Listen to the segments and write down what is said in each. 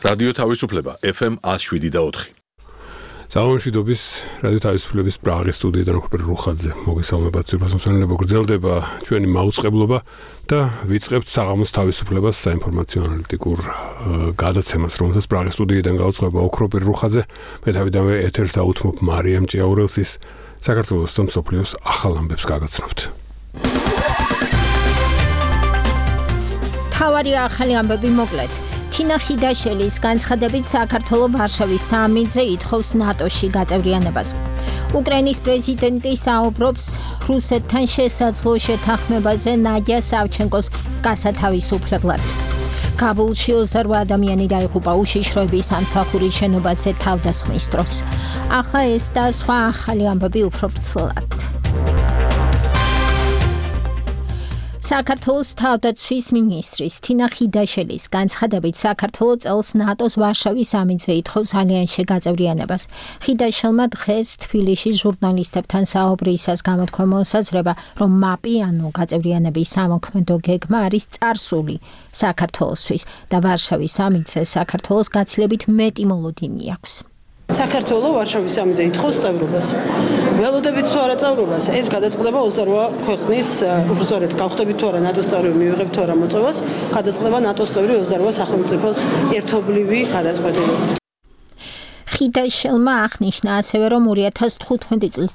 რადიო თავისუფლება FM 107.4. Საომშვიდობის რადიო თავისუფლების პრაღის სტუდიიდან ოქროპერ რუხაძე მოგესალმებათ სიბრასმოსანელება გრძელდება ჩვენი მაუწყებლობა და ვიწყებთ საღამოს თავისუფლებას საინფორმაციო ანალიტიკურ გადაცემას, რომელსაც პრაღის სტუდიიდან გაუწყება ოქროპერ რუხაძე. მე თავიდანვე ეთერს დაუთმობ მარიამ ჭიაურელსის საქართველოს და მსოფლიოს ახალ ამბებს გაგაცნობთ. თავარი ახალი ამბები მოკლედ. თინა ხიდაშელის განცხადებით საქართველოს ვარშავის სამიტზე ითხოვს ნატოში გაწევრიანებას. უკრაინის პრეზიდენტი საუბრობს რუსეთთან შესაძლო შეთანხმებაზე ნადია სავჩენკოს გასათავისუფლებლად. კაბულში 28 ადამიანი დაიღუპა უშიშროების სამსახურის შენობაზე თავდასხმის დროს. ახლა ეს და სხვა ახალი ამბები უფრო ვრცლად. საქართველოს თავდაცვის მინისტრის თინა ხიდაშელის განცხადებით საქართველოს წელს ნატოს ვარშავის სამიტზე ითხოვს ალიანსში გაწევრიანებას. ხიდაშელმა დღეს თბილისში ჟურნალისტებთან საუბრისას გამოთქვა მოსაზრება, რომ მაპი ანუ გაწევრიანების სამოქმედო გეგმა არის წარსული საქართველოსთვის და ვარშავის სამიტზე საქართველოს გაცილებით მეტი მოლოდინი აქვს. საქართველოს ვარშავის სამიტზე ითხოვს წევრობას. ველოდებით თუ არა წევრობას, ეს გადაწყდება 28 ქვეყნის, უბრალოდ გავხდებით თუ არა ნატოს წევრი, მივიღებთ თუ არა მოწვევას, გადაწყდება ნატოს წევრი 28 სახელმწიფოს ერთობლივი გადაწყვეტილებით. ხიდაშელმა აღნიშნა ასევე, რომ 2015 წლის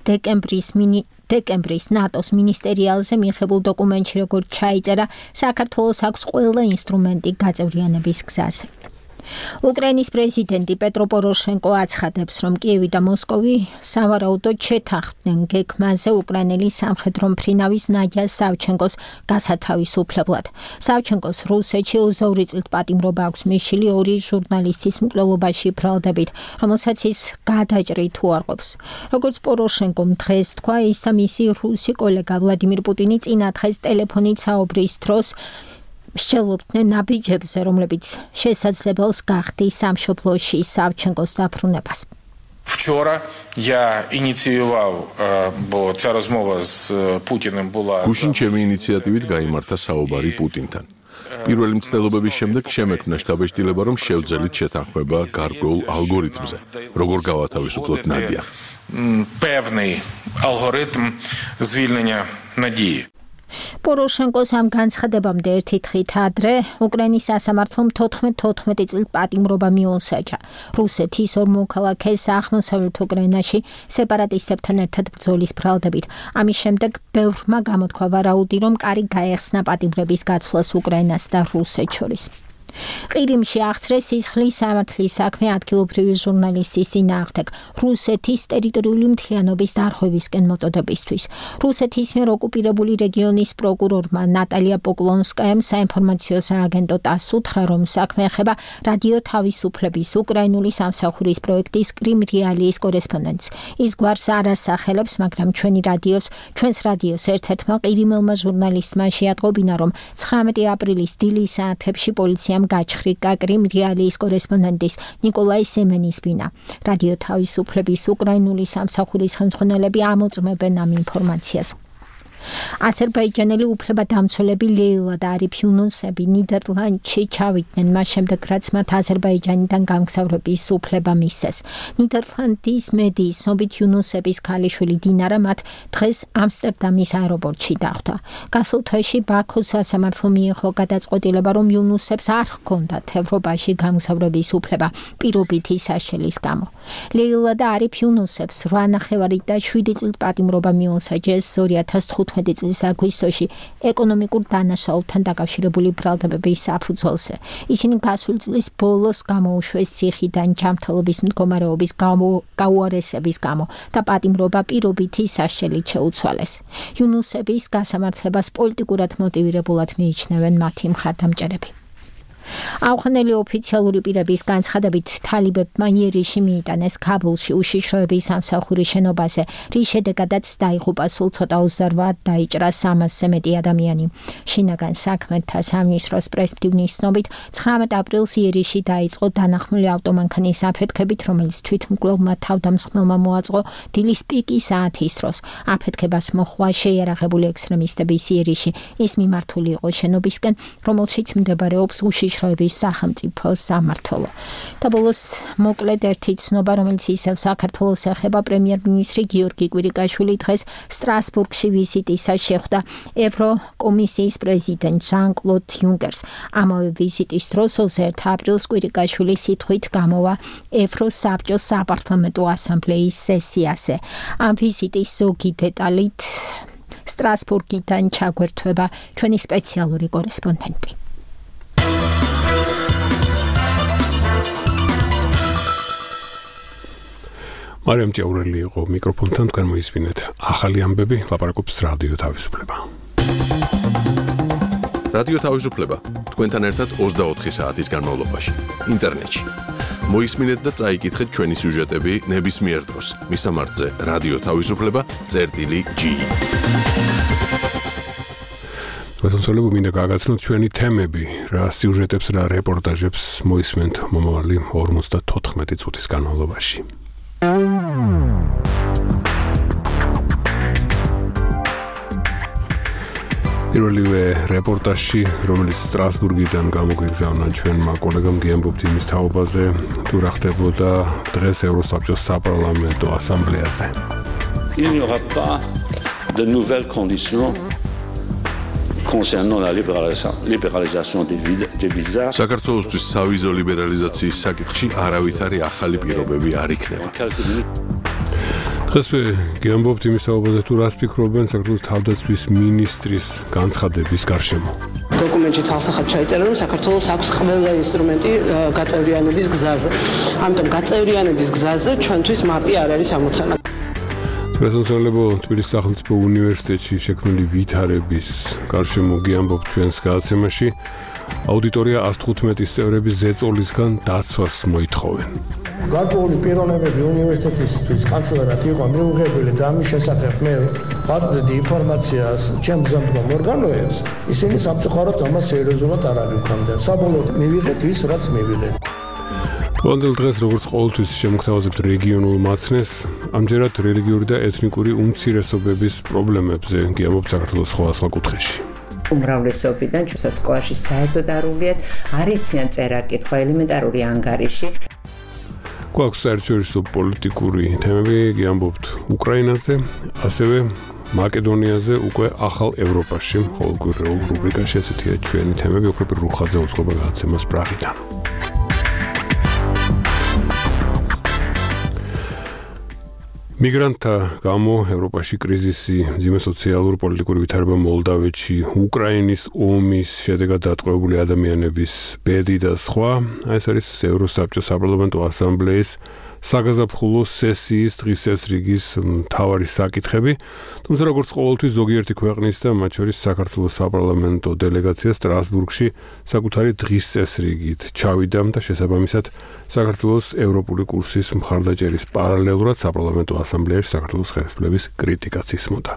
დეკემბრის ნატოს მინისტერიალზე მიღებულ დოკუმენტში როგორც ჩაიწერა, საქართველოს აქვს ყველა ინსტრუმენტი გაწევრიანების გზაზე. უკრაინის პრეზიდენტი პეტრო პოროშენკო აცხადებს, რომ კიევი და მოსკოვი სავარაუდოდ შეთანხმდნენ გეგმაზე უკრაინელი სამხედრო მფრინავის ნადია სავჩენკოს გასათავისუფლებლად. სავჩენკოს რუსეთში 22 წლით პატიმრობა აქვს მისული ორი ჟურნალისტის მკვლელობაში ბრალდებით, რომელსაც ის გადაჭრით უარყოფს. როგორც პოროშენკომ დღეს თქვა, ის და მისი რუსი კოლეგა ვლადიმირ პუტინი წინა დღეს ტელეფონით საუბრის დროს მსჯელობდნენ ნაბიჯებზე, რომლებიც შესაძლებელს გახდის სამშობლოში სავჩენკოს დაბრუნებას. Вчора я инициировал, бо ця розмова з Путіним була გუშინ ჩემი ინიციატივით გაიმართა საუბარი პუტინთან. პირველი მცდელობების შემდეგ შემექმნა შტაბ-ბეჭდილება, რომ შევძელით შეთანხმება გარკვეულ ალგორითმზე, როგორ გავათავისუფლოთ ნადია. Певний алгоритм звільнення Надії. პოროშენკოს ამ განცხადებამდე ერთი დღით ადრე უკრაინის სასამართლომ 14 წლით პატიმრობა მიუსაჯა. რუსეთის ორ მოქალაქეს აღმოსავლეთ უკრაინაში სეპარატისტებთან ერთად ბრძოლის ბრალდებით. ამის შემდეგ ბევრმა გამოთქვა ვარაუდი, რომ კარი გაეხსნა პატიმრების გაცვლას უკრაინას და რუსეთს შორის. ყირიმში აღწრეს სისხლის სამართლის საქმე ადგილობრივი ჟურნალისტის წინააღმდეგ რუსეთის ტერიტორიული მთლიანობის დარღვევისკენ მოწოდებისთვის. რუსეთის მიერ ოკუპირებული რეგიონის პროკურორმა ნატალია პოკლონსკაიამ საინფორმაციო სააგენტო ტასს უთხრა, რომ საქმე ეხება რადიო თავისუფლების უკრაინული სამსახურის პროექტის კრიმ რეალიის კორესპონდენტს. ის გვარს არ ასახელებს, მაგრამ ჩვენს რადიოს ერთ-ერთმა ყირიმელმა ჟურნალისტმა შეატყობინა, რომ 19 აპრილის დილის საათებში პოლიციამ გაჩხრიკა კრიმ რეალიის კორესპონდენტის ნიკოლაი სემენის ბინა. რადიო თავისუფლების უკრაინული სამსახურის ხელმძღვანელები ამოწმებენ ამ ინფორმაციას. აზერბაიჯანელი უფლებადამცველები ლეილა და არიფ იუნუსები ნიდერლანდში ჩავიდნენ მას შემდეგ, რაც მათ აზერბაიჯანიდან გამგზავრების უფლება მისცეს. ნიდერლანდის მედიის ცნობით იუნუსების ქალიშვილი დინარა მათ დღეს ამსტერდამის აეროპორტში დახვდა. გასულ თვეში ბაქოს სასამართლო მიიღო გადაწყვეტილება, რომ იუნუსებს არ ჰქონდათ ევროპაში გამგზავრების უფლება პირობითი საშელის გამო. ლეილა და არიფ იუნუსებს 8 და 7 წლით პატიმრობა მიუსაჯეს 2015 წლის აგვისტოში ეკონომიკურ დანაშაულთან დაკავშირებული ბრალდებების საფუძველზე. ისინი გასული წლის ბოლოს გამოუშვეს ციხიდან ჯანმრთელობის მდგომარეობის გაუარესების გამო და პატიმრობა პირობითი საშელით შეუცვალეს. იუნუსების გასამართლებას პოლიტიკურად მოტივირებულად მიიჩნევენ მათი მხარდამჭერები. ავღანელი ოფიციალური პირების განცხადებით თალიბებმა იერიში მიიტანეს ქაბულში უშიშროების სამსახურის შენობაზე, რის შედეგადაც დაიღუპა სულ ცოტა 28 დაიჭრა 300-ზე მეტი ადამიანი. შინაგან საქმეთა სამინისტროს პრესმდივნის ცნობით 19 აპრილს იერიში დაიწყო დანახმული ავტომანქანის აფეთქებით, რომელიც თვითმკვლელმა თავდამსხმელმა მოაწყო დილის პიკის საათის დროს. აფეთქებას მოჰყვა შეიარაღებული ექსტრემისტების იერიში. ის მიმართული იყო შენობისკენ, რომელშიც მდებარეობს უშიშროების ვიწროების სახელმწიფო სამმართველო. და ბოლოს მოკლედ ერთი ცნობა, რომელიც ისევ საქართველოს ეხება, პრემიერ-მინისტრი გიორგი კვირიკაშვილი დღეს სტრასბურგში ვიზიტისას შეხვდა ევროკომისიის პრეზიდენტ ჟან-კლოდ იუნკერს. ამავე ვიზიტის დროს 21 აპრილს კვირიკაშვილი სიტყვით გამოვა ევროსაბჭოს საპარლამენტო ასამბლეის სესიაზე. ამ ვიზიტის ზოგი დეტალით სტრასბურგიდან ჩაგვერთვება ჩვენი სპეციალური კორესპონდენტი. მარიამ ჭაურელი იყო მიკროფონთან, თქვენ მოისმინეთ ახალი ამბები, ლაპარაკობს რადიო თავისუფლება. რადიო თავისუფლება თქვენთან ერთად 24 საათის განმავლობაში ინტერნეტში. მოისმინეთ და წაიკითხეთ ჩვენი სიუჟეტები ნებისმიერ დროს მისამართზე რადიო თავისუფლება.gi. ვეთონსოლებო მინდა გაგაცნოთ ჩვენი თემები, რა სიუჟეტებს რა რეპორტაჟებს მოისმენთ მომავალი 54 წუთის განმავლობაში. პირველივე რეპორტაჟში, რომელიც სტრასბურგიდან გამოგვიგზავნა ჩვენმა კოლეგამ გიამბობთ იმის თაობაზე, თუ რა ხდებოდა დღეს ევროსაბჭოს საპარლამენტო ასამბლეაზე. Il n'y aura pas de nouvelles conditions concernant la libéralisation des visas. საქართველოსთვის სავიზო ლიბერალიზაციის საკითხში არავითარი ახალი პირობები არ იქნება. დღესვე გიამბობთ იმის თაობაზე, თუ რას ფიქრობენ საქართველოს თავდაცვის მინისტრის განცხადების გარშემო. დოკუმენტში ცალსახად ჩაიწერა, რომ საქართველოს აქვს ყველა ინსტრუმენტი გაწევრიანების გზაზე. ამიტომ გაწევრიანების გზაზე ჩვენთვის მაპი არ არის ამოცანა. პრეზიდენტებო თბილისის სახელმწიფო უნივერსიტეტში შექმნილი ვითარების გარშემო გიამბობთ ჩვენს გადაცემაში. აუდიტორია 115 წევრების ზეწოლისგან დაცვას მოითხოვენ. გარკვეული პიროვნებები უნივერსიტეტისთვის კანცელარად იყო მიუღებელი და ამის შესახებ მე ვაწვდიდი ინფორმაციას ჩემ მზამდგომ ორგანოებს, ისინი სამწუხაროდ ამას სერიოზულად არ აღიქვამდნენ. საბოლოოდ მივიღეთ ის, რაც მივიღეთ. თვალდელ დღეს როგორც ყოველთვის შემოგთავაზებთ რეგიონულ მაცნეს, ამჯერად რელიგიური და ეთნიკური უმცირესობების პრობლემებზე გიამბობთ საქართველოს სხვადასხვა კუთხეში. უმრავლესობიდან ჩვენსაც სკოლაში საერთოდ არ უვლიათ, არ იციან წერა-კითხვა, ელემენტარული ანგარიში. გვაქვს საერთაშორისო პოლიტიკური თემები, გიამბობთ უკრაინაზე, ასევე მაკედონიაზე, უკვე ახალ ევროპაში, ყოველკვირეულ რუბრიკაში ესეთია ჩვენი თემები, ოქროპირ რუხაძე უწყობა გადაცემას პრაღიდან. მიგრანტთა გამო ევროპაში კრიზისი, მძიმე სოციალურ-პოლიტიკური ვითარება მოლდავეთში, უკრაინის ომის შედეგად დატყვევებული ადამიანების ბედი და სხვა. ეს არის ევროსაბჭოს საპარლამენტო ასამბლეის საგაზაფხულო სესიის დღის წესრიგის მთავარი საკითხები. თუმცა როგორც ყოველთვის ზოგიერთი ქვეყნის და მათ შორის საქართველოს საპარლამენტო დელეგაცია სტრასბურგში საკუთარი დღის წესრიგით ჩავიდა და შესაბამისად საქართველოს ევროპული კურსის მხარდაჭერის პარალელურად საპარლამენტო ასამბლეაში საქართველოს ხელისუფლების კრიტიკაც ისმოდა.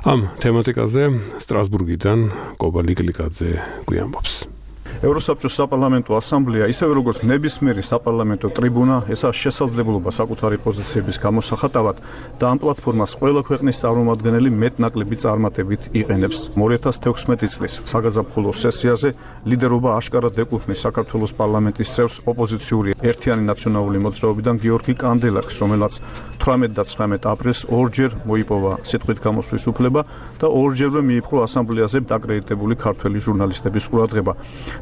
ამ თემატიკაზე სტრასბურგიდან კობა ლიკლიკაძე გვიამბობს. ევროსაბჭოს საპარლამენტო ასამბლეა, ისევე როგორც ნებისმიერი საპარლამენტო ტრიბუნა, ესაა შესაძლებლობა საკუთარი პოზიციების გამოსახატავად და ამ პლატფორმას ყველა ქვეყნის წარმომადგენელი მეტ-ნაკლები წარმატებით იყენებს. 2016 წლის საგაზაფხულო სესიაზე ლიდერობა აშკარად ეკუთვნის საქართველოს პარლამენტის წევრს ოპოზიციური ერთიანი ნაციონალური მოძრაობიდან გიორგი კანდელაკს, რომელსაც 18 და 19 აპრილს ორჯერ მოიპოვა სიტყვით გამოსვლის უფლება და ორჯერვე მიიპყრო ასამბლეაზე დაკრედიტებული ქართველი ჟურნალისტების ყურადღება.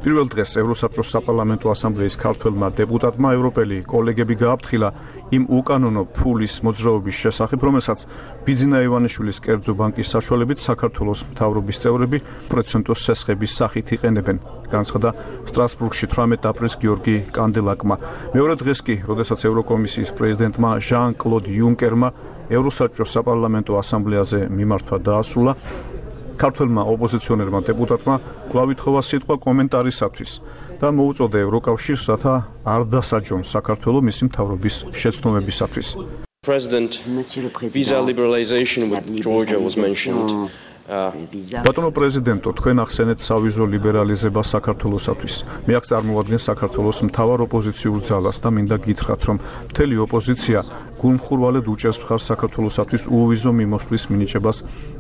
პირველ დღეს ევროსაბჭოს საპარლამენტო ასამბლეის ქართველმა დეპუტატმა ევროპელი კოლეგები გააფრთხილა იმ უკანონო ფულის მოძრაობის შესახებ, რომელსაც ბიძინა ივანიშვილის კერძო ბანკის საშუალებით საქართველოს მთავრობის წევრები პროცენტოს სესხების სახით იყენებენ. განცხადა სტრასბურგში 18 აპრილს გიორგი კანდელაკმა. მეორე დღეს კი, როდესაც ევროკომისიის პრეზიდენტმა ჟან-კლოდ იუნკერმა ევროსაბჭოს საპარლამენტო ასამბლეაზე მიმართვა დაასრულა, ქართველმა ოპოზიციონერმა დეპუტატმა კვლავ ითხოვა სიტყვა კომენტარისათვის და მოუწოდა ევროკავშირს, რათა არ დასაჯონ საქართველო მისი მთავრობის შეცდომებისათვის. President, visa liberalization with Georgia was mentioned. ბატონო პრეზიდენტო, თქვენ ახსენეთ სავიზო ლიბერალიზება საქართველოსათვის. მე აქ წარმოადგენს საქართველოს მთავარ ოპოზიციურ ძალას და მინდა გითხრათ, რომ მთელი ოპოზიცია გულმხურვალედ უჭერს მხარს საქართველოსათვის უვიზო მიმოსვლის მინიჭებას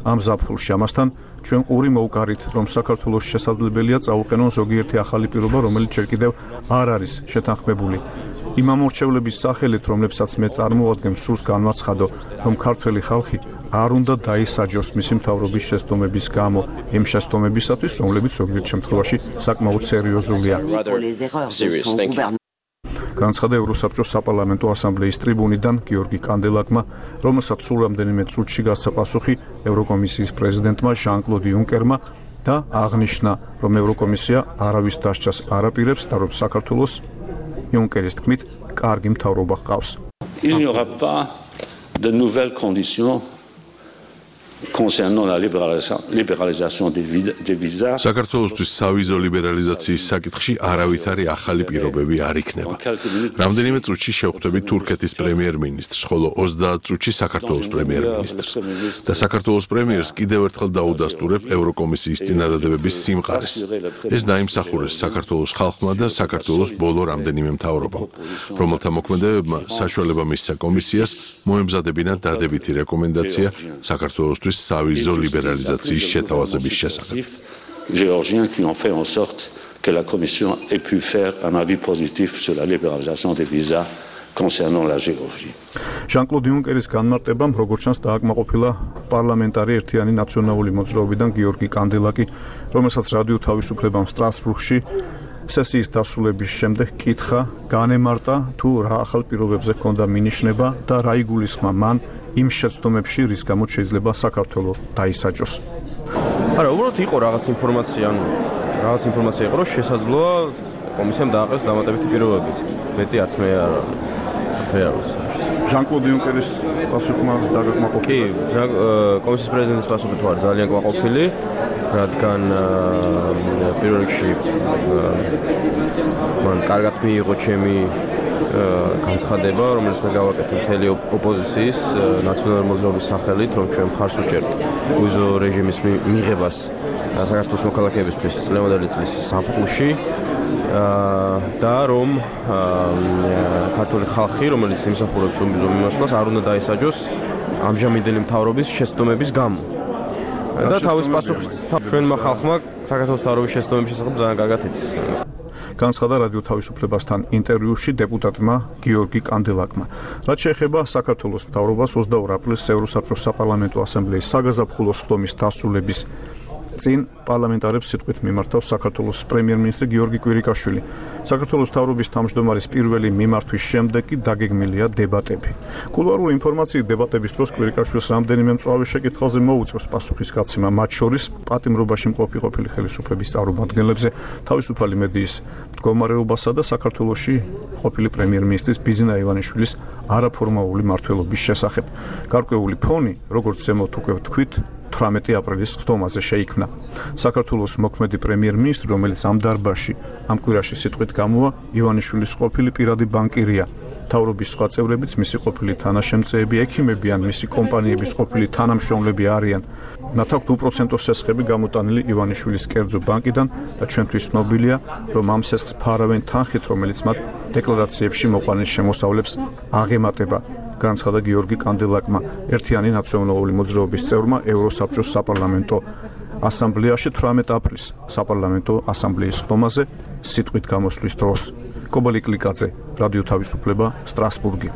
ამ ზაფხულში. ამასთან ჩვენ ყური მოვკარით, რომ საქართველოს შესაძლებელია წაუყენონ ზოგიერთი ახალი პირობა, რომელიც ჯერ კიდევ არ არის შეთანხმებული. იმ ამორჩევლების სახელით, რომლებსაც მე წარმოვადგენ, სურს განვაცხადო, რომ ქართველი ხალხი არ უნდა დაისაჯოს მისი მთავრობის შეცდომების გამო, იმ შეცდომებისათვის, რომლებიც ზოგიერთ შემთხვევაში საკმაოდ სერიოზულია. განცხადა ევროსაბჭოს საპარლამენტო ასამბლეის ტრიბუნიდან გიორგი კანდელაკმა, რომელსაც სულ რამდენიმე წუთში გასცა პასუხი ევროკომისიის პრეზიდენტმა ჟან-კლოდ იუნკერმა და აღნიშნა, რომ ევროკომისია არავის დასჯას არ აპირებს და რომ საქართველოს იუნკერის თქმით კარგი მთავრობა ჰყავს. Il n'y aura pas de nouvelles conditions concernant la libéralisation des visas. საქართველოსთვის სავიზო ლიბერალიზაციის საკითხში არავითარი ახალი პირობები არ იქნება. რამდენიმე წუთში შევხვდებით თურქეთის პრემიერ-მინისტრს, ხოლო 30 წუთში საქართველოს პრემიერ-მინისტრს. და საქართველოს პრემიერს კიდევ ერთხელ დაუდასტურებ ევროკომისიის წინადადებების სიმყარეს. ეს დაიმსახურეს საქართველოს ხალხმა და საქართველოს ბოლო რამდენიმე მთავრობამ, რომელთა მოქმედებებმა საშუალება მისცა კომისიას მოემზადებინა დადებითი რეკომენდაცია საქართველოსთვის სავიზო ლიბერალიზაციის შეთავაზების შესახებ. Géorgiens qui ont fait en sorte que la Commission ait pu faire un avis positif sur la libéralisation des visas concernant la Géorgie. ჟან-კლოდ იუნკერის განმარტებამ, როგორც ჩანს, დააკმაყოფილა პარლამენტარი ერთიანი ნაციონალური მოძრაობიდან გიორგი კანდელაკი, რომელსაც რადიო თავისუფლებამ სტრასბურგში სესიის დასრულების შემდეგ კითხა, განემარტა თუ რა ახალ პირობებზე ჰქონდა მინიშნება და რა იგულისხმა მან იმ შეცდომებში, რის გამოც შეიძლება საქართველოს დაისაჯოს. არა, უბრალოდ იყო რაღაც ინფორმაცია, იყო, რომ შესაძლოა კომისიამ დააყენოს დამატებითი პირობები. მეტი არც მე არ ვიცი. ჟან-კლოდ იუნკერის პასუხმა დაგაკმაყოფილი. კი, კომისიის პრეზიდენტის პასუხი თუ არ ძალიან კმაყოფილი, რადგან პირველ რიგში მან კარგად მიიღო ჩემი განცხადება, რომელიც მე გავაკეთე მთელი ოპოზიციის ნაციონალური მოძრაობის სახელით, რომ ჩვენ მხარს ვუჭერთ ვიზო რეჟიმის მიღებას საქართველოს მოქალაქეებისთვის წლევანდელი წლის ზაფხულში და რომ ქართული ხალხი, რომელიც იმსახურებს ვიზო მიმართულებას, არ უნდა დაისაჯოს ამჟამინდელი მთავრობის შეცდომების გამო. და თავის პასუხით ჩვენმა ხალხმა საქართველოს მთავრობის შეცდომების შესახებ ძალიან კარგად იცის. განცხადა რადიო თავისუფლებასთან ინტერვიუში დეპუტატმა გიორგი კანდელაკმა. რაც შეეხება საქართველოს მთავრობას 22 აპრილს ევროსაბჭოს საპარლამენტო ასამბლეის საგაზაფხულო სხდომის დასრულების წინ პარლამენტარებს სიტყვით მიმართავს საქართველოს პრემიერ-მინისტრი გიორგი კვირიკაშვილი. საქართველოს მთავრობის თავმჯდომარის პირველი მიმართვის შემდეგ კი დაგეგმილია დებატები. კულუარული ინფორმაციით დებატების დროს კვირიკაშვილს რამდენიმე მწვავე შეკითხვაზე მოუწევს პასუხისგაცემა, მათ შორის პატიმრობაში მყოფი ყოფილი ხელისუფლების წარმომადგენლებზე, თავისუფალი მედიის მდგომარეობასა და საქართველოში ყოფილი პრემიერ-მინისტრის ბიძინა ივანიშვილის არაფორმალური მმართველობის შესახებ. გარკვეული ფონი, როგორც ზემოთ უკვე ვთქვით, 18 აპრილის სხდომაზე შეიქმნა. საქართველოს მოქმედი პრემიერ-მინისტრი, რომელიც ამ დარბაზში ამ კვირაში სიტყვით გამოვა, ივანიშვილის ყოფილი პირადი ბანკირია. მთავრობის სხვა წევრებიც მისი ყოფილი თანაშემწეები, ექიმები ან მისი კომპანიების ყოფილი თანამშრომლები არიან. მათ აქვთ უპროცენტო სესხები გამოტანილი ივანიშვილის კერძო ბანკიდან და ჩვენთვის ცნობილია, რომ ამ სესხს ფარავენ თანხით, რომელიც მათ დეკლარაციებში მოყვანილ შემოსავლებს აღემატება. განცხადა გიორგი კანდელაკმა, ერთიანი ნაციონალური მოძრაობის წევრმა ევროსაბჭოს საპარლამენტო ასამბლეაში 18 აპრილს საპარლამენტო ასამბლეის სხდომაზე სიტყვით გამოსვლის დროს. კობალი კლიკაძე, რადიო თავისუფლება, სტრასბურგი.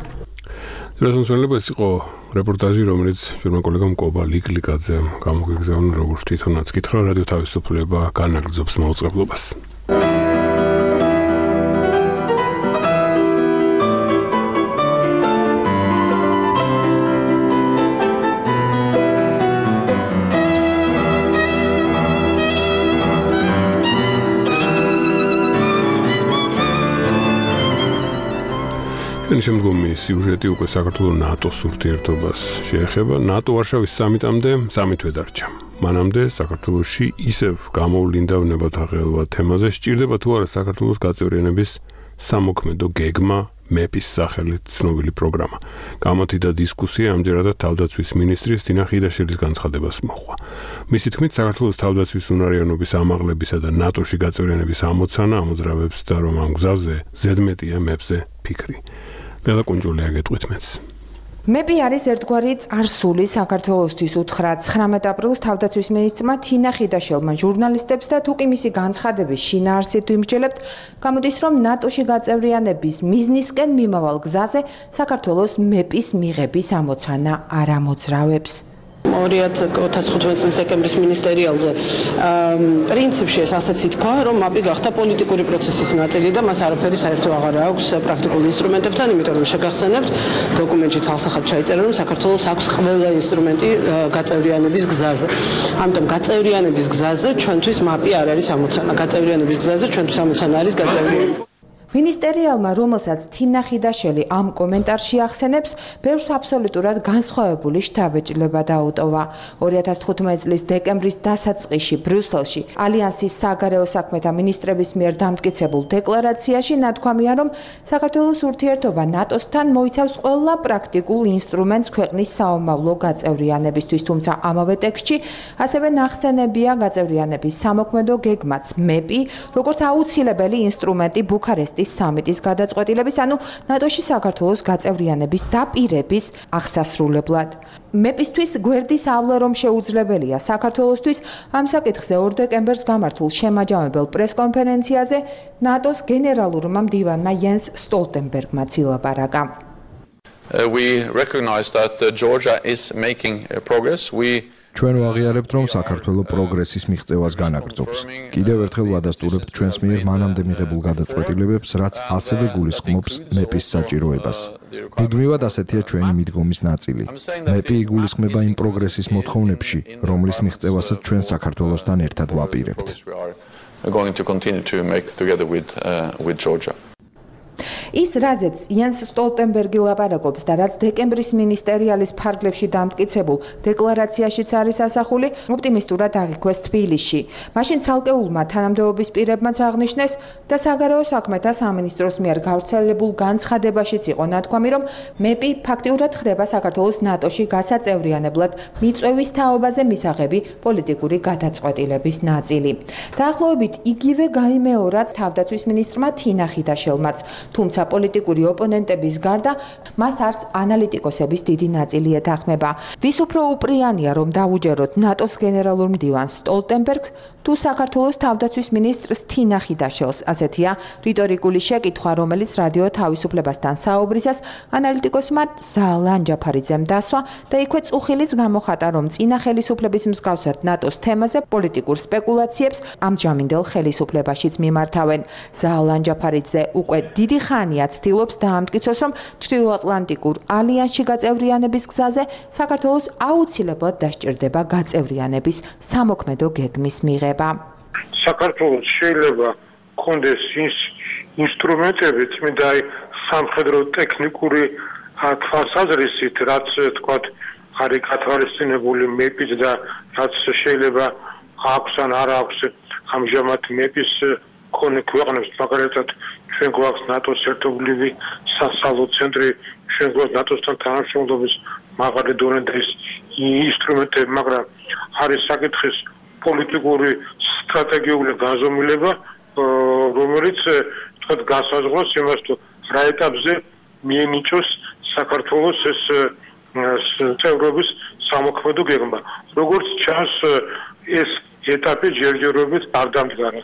ეს იყო რეპორტაჟი, რომელიც ჩვენმა კოლეგამ კობალი კლიკაძემ გამოგეგზავნა, როგორც თვითონაც კითხა, რადიო თავისუფლება განაგრძობს მაუწყებლობას. შემდგომი სიუჟეტი უკვე საქართველოს ნატოს ურთიერთობას შეეხება. ნატო ვარშავის სამიტამდე სამითვე დარჩა. მანამდე საქართველოში ისევ გამოვლინდა ნებათაღელვა თემაზე, სჭირდება თუ არა საქართველოს გაწევრიანების სამოქმედო გეგმა, მეპის სახელით ცნობილი პროგრამა. გამართიდა დისკუსია, ამჯერადაც თავდაცვის მინისტრის თინა ხიდაშვილის განცხადებას მოჰყვა. მისი თქმით, საქართველოს თავდაცვის უნარიანობის ამაღლებისა და ნატოში გაწევრიანების ამოცანა ამოძრავებს და რომ ამ გზაზე ზედმეტია მეპზე ფიქრი. ბელა კუნჯული აგეტყვით მეც. მეპი არის ერთგვარი წარსული საქართველოსთვის უთხრა 19 აპრილს თავდაცვის მინისტრმა თინა ხიდაშელმა ჟურნალისტებს და თუკი მისი განცხადების შინაარსით ვიმსჯელებთ, გამოდის რომ ნატოში გაწევრიანების მიზნისკენ მიმავალ გზაზე საქართველოს მეპის მიღების ამოცანა არ ამოძრავებს. 2015 წლის დეკემბრის მინისტერიალზე პრინციპში ეს ასეც ითქვა, რომ მაპი გახდა პოლიტიკური პროცესის ნაწილი და მას არაფერი საერთო აღარ აქვს პრაქტიკულ ინსტრუმენტებთან, იმიტომ რომ შეგახსენებთ, დოკუმენტში ცალსახად ჩაიწერა, რომ საქართველოს აქვს ყველა ინსტრუმენტი გაწევრიანების გზაზე. ამიტომ გაწევრიანების გზაზე ჩვენთვის მაპი არ არის ამოცანა. გაწევრიანების გზაზე ჩვენთვის ამოცანა არის გაწევრიანება. მინისტერიალმა, რომელსაც თინა ხიდაშელი ამ კომენტარში ახსენებს, ბევრს აბსოლუტურად განსხვავებული შთაბეჭდილება დაუტოვა. 2015 წლის დეკემბრის დასაწყისში ბრიუსელში ალიანსის საგარეო საქმეთა მინისტრების მიერ დამტკიცებულ დეკლარაციაში ნათქვამია, რომ საქართველოს ურთიერთობა ნატოსთან მოიცავს ყველა პრაქტიკულ ინსტრუმენტს ქვეყნის საომავლო გაწევრიანებისთვის, თუმცა ამავე ტექსტში ასევე ნახსენებია გაწევრიანების სამოქმედო გეგმაც მეპი, როგორც აუცილებელი ინსტრუმენტი ბუქარესტის სამიტის გადაწყვეტილების, ანუ ნატოში საქართველოს გაწევრიანების დაპირების აღსასრულებლად. მეპისთვის გვერდის ავლა რომ შეუძლებელია საქართველოსთვის ამ საკითხზე 2 დეკემბერს გამართულ შემაჯამებელ პრესკონფერენციაზე ნატოს გენერალურმა მდივანმა იანს სტოლტენბერგმა ილაპარაკა. We recognize that Georgia is making progress. ჩვენ ვაღიარებთ, რომ საქართველოს პროგრესის მიღწევას განაგრძობს. კიდევ ერთხელ ვადასტურებთ ჩვენს მიერ მანამდე მიღებულ გადაწყვეტილებებს, რაც ასევე გულისხმობს მეპის საჭიროებას. მუდმივად ასეთია ჩვენი მიდგომის ნაწილი. მეპი იგულისხმება იმ პროგრესის მოთხოვნებში, რომლის მიღწევასაც ჩვენ საქართველოსთან ერთად ვაპირებთ. ის რაზეც იანს სტოლტენბერგი ლაპარაკობს და რაც დეკემბრის მინისტერიალის ფარგლებში დამტკიცებულ დეკლარაციაშიც არის ასახული, ოპტიმისტურად აღიქვეს თბილისში. მაშინ ცალკეულმა თანამდებობის პირებმაც აღნიშნეს და საგარეო საქმეთა სამინისტროს მიერ გავრცელებულ განცხადებაშიც იყო ნათქვამი, რომ მეპი ფაქტიურად ხდება საქართველოს ნატოში გასაწევრიანებლად მიწვევის თაობაზე მისაღები პოლიტიკური გადაწყვეტილების ნაწილი. დაახლოებით იგივე გაიმეორა თავდაცვის მინისტრმა თინა ხიდაშელმაც. თუმცა პოლიტიკური ოპონენტების გარდა მას არც ანალიტიკოსების დიდი ნაწილი ეთანხმება. ვის უფრო უპრიანია, რომ დაუჯეროთ ნატოს გენერალურ მდივანს სტოლტენბერგს თუ საქართველოს თავდაცვის მინისტრს თინა ხიდაშელს? ასეთია რიტორიკული შეკითხვა, რომელიც რადიო თავისუფლებასთან საუბრისას ანალიტიკოსმა ზალან ჯაფარიძემ დასვა და იქვე წუხილიც გამოხატა, რომ წინა ხელისუფლების მსგავსად ნატოს თემაზე პოლიტიკურ სპეკულაციებს ამჯამინდელ ხელისუფლებაშიც მიმართავენ. ზალან ჯაფარიძე უკვე დიდი ხანია ცდილობს დაამტკიცოს, რომ ჩრდილოატლანტიკურ ალიანსში გაწევრიანების გზაზე საქართველოს აუცილებლად დასჭირდება გაწევრიანების სამოქმედო გეგმის მიღება. საქართველოს შეიძლება კონდეს ინსტრუმენტები, წმინდა სამხედრო ტექნიკური თვალსაზრისით, რაც თქვათ არის გათვალისწინებული მეპის და რაც შეიძლება აქვს ან არ აქვს ამჟამად მეპის კონე ქვეყნებს, მაგალითად ჩვენ გვაქვს ნატოს ერთობლივი სასალო ცენტრი, ჩვენ გვაქვს ნატოსთან თანამშრომლობის მაღალი დონეების ინსტრუმენტები, მაგრამ არის საკითხის პოლიტიკური სტრატეგიული განზომილება, რომელიც თქვათ გასაზღვროს იმას, თუ რა ეტაპზე მიენიჭოს საქართველოს ეს წევრობის სამოქმედო გეგმა. როგორც ჩანს, ეს ეტაპი ჯერჯერობით არ დამდგარა.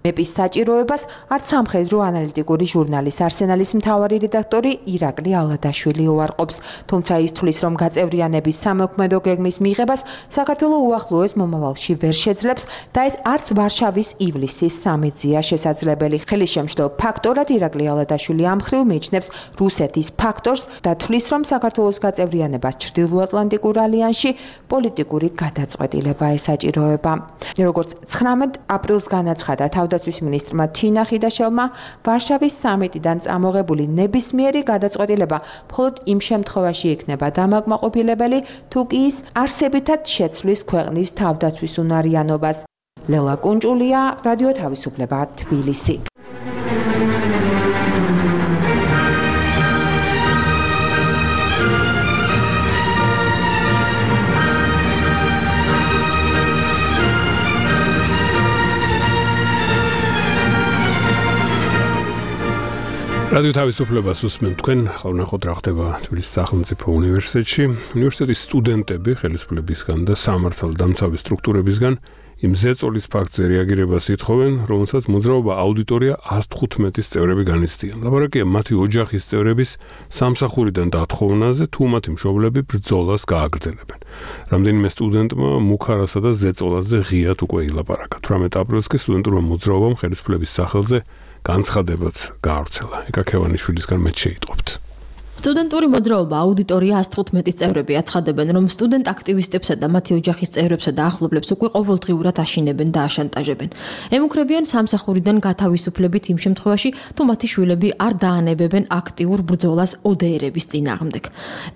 მეპის საჭიროებას არც სამხედრო ანალიტიკური ჟურნალის არსენალის მთავარი რედაქტორი ირაკლი ალადაშვილი უარყოფს, თუმცა ის თვლის, რომ გაწევრიანების სამოქმედო გეგმის მიღებას საქართველოს უახლოეს მომავალში ვერ შეძლებს და ეს არც ვარშავის ივლისის სამიტზეა შესაძლებელი. ხელისშემშლელ ფაქტორად ირაკლი ალადაშვილი ამ მხრივ მიიჩნევს რუსეთის ფაქტორს და თვლის, რომ საქართველოს გაწევრიანებას ჩრდილოატლანტიკურ ალიანსში პოლიტიკური გადაწყვეტილება ესაჭიროება. როგორც 19 აპრილს განაცხადა თავდაცვის მინისტრმა თინა ხიდაშელმა, ვარშავის სამიტიდან წამოღებული ნებისმიერი გადაწყვეტილება მხოლოდ იმ შემთხვევაში იქნება დამაკმაყოფილებელი, თუ კი ის არსებითად შეცვლის ქვეყნის თავდაცვის უნარიანობას. ლელა კუნჭულია, რადიო თავისუფლება, თბილისი. რადიო თავისუფლებას უსმენთ თქვენ, ახლა ნახოთ რა ხდება თბილისის სახელმწიფო უნივერსიტეტში. უნივერსიტეტის სტუდენტები ხელისუფლებისგან და სამართალდამცავი სტრუქტურებისგან იმ ზეწოლის ფაქტზე რეაგირებას ითხოვენ, რომელსაც მოძრაობა აუდიტორია 115-ის წევრები განიცდიან. ლაპარაკია მათი ოჯახის წევრების სამსახურიდან დათხოვნაზე, თუ მათი მშობლები ბრძოლას გააგრძელებენ. რამდენიმე სტუდენტმა მუქარასა და ზეწოლაზე ღიად უკვე ილაპარაკა. 18 აპრილს კი სტუდენტურმა მოძრაობამ ხელისუფლების სახელზე განცხადებაც გაავრცელა. ეკა ქევანიშვილისგან მეც შეიტყობთ. სტუდენტური მოძრაობა აუდიტორია 115-ის წევრები აცხადებენ, რომ სტუდენტ აქტივისტებსა და მათი ოჯახის წევრებსა და ახლობლებს უკვე ყოველდღიურად აშინებენ და აშანტაჟებენ. ემუქრებიან სამსახურიდან გათავისუფლებით იმ შემთხვევაში, თუ მათი შვილები არ დაანებებენ აქტიურ ბრძოლას ODR-ების წინააღმდეგ.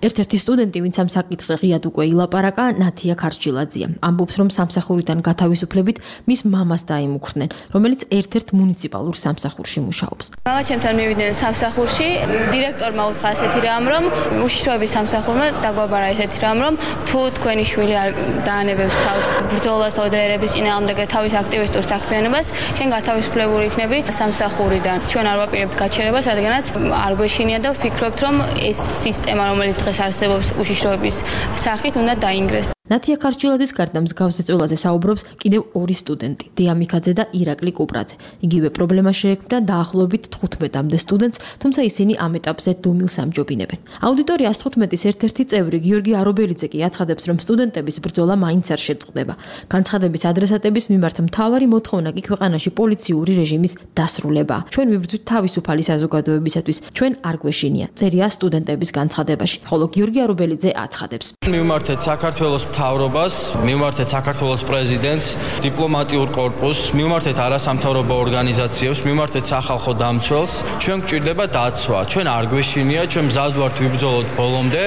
ერთ-ერთი სტუდენტი, ვინც ამ საკითხზე ღიად უკვე ილაპარაკა, ნათია ქარჩილაძეა. ამბობს, რომ სამსახურიდან გათავისუფლებით მის მამას დაემუქრნენ, რომელიც ერთ-ერთ მუნიციპალურ სამსახურში მუშაობს. მამა ჩემთან მივიდნენ სამსახურში, დირექტორმა უთხრა ასეთი რამ, რომ უშიშროების სამსახურმა დაგვაბარა ესეთი რამ, რომ თუ თქვენი შვილი არ დაანებებს თავს ბრძოლას ODR-ების წინააღმდეგ და თავის აქტივისტურ საქმიანობას, შენ გათავისუფლებული იქნები სამსახურიდან. ჩვენ არ ვაპირებთ გაჩერებას, რადგანაც არ გვეშინია და ვფიქრობთ, რომ ეს სისტემა, რომელიც დღეს არსებობს უშიშროების სახით, უნდა დაინგრეს. ნათია ქარჩილაძის გარდა მსგავს ზეწოლაზე საუბრობს კიდევ ორი სტუდენტი, დია მიქაძე და ირაკლი კუპრაძე. იგივე პრობლემა შეექმნა დაახლოებით 15-მდე სტუდენტს, თუმცა ისინი ამ ეტაპზე დუმილს ამჯობინებენ. აუდიტორია 115-ის ერთ-ერთი წევრი გიორგი არობელიძე კი აცხადებს, რომ სტუდენტების ბრძოლა მაინც არ შეწყდება. განცხადების ადრესატების მიმართ მთავარი მოთხოვნა კი ქვეყანაში პოლიციური რეჟიმის დასრულებაა. ჩვენ ვიბრძვით თავისუფალი საზოგადოებისათვის, ჩვენ არ გვეშინია. წერია სტუდენტების განცხადებაში, ხოლო გიორგი არობელიძე აცხადებს. მივმართეთ საქართველოს მთავრობას, მივმართეთ საქართველოს პრეზიდენტს, დიპლომატიურ კორპუსს, მივმართეთ არასამთავრობო ორგანიზაციებს, მივმართეთ სახალხო დამცველს. ჩვენ გვჭირდება დაცვა. ჩვენ არ გვეშინია, ჩვენ მზად ვართ ვიბრძოლოთ ბოლომდე,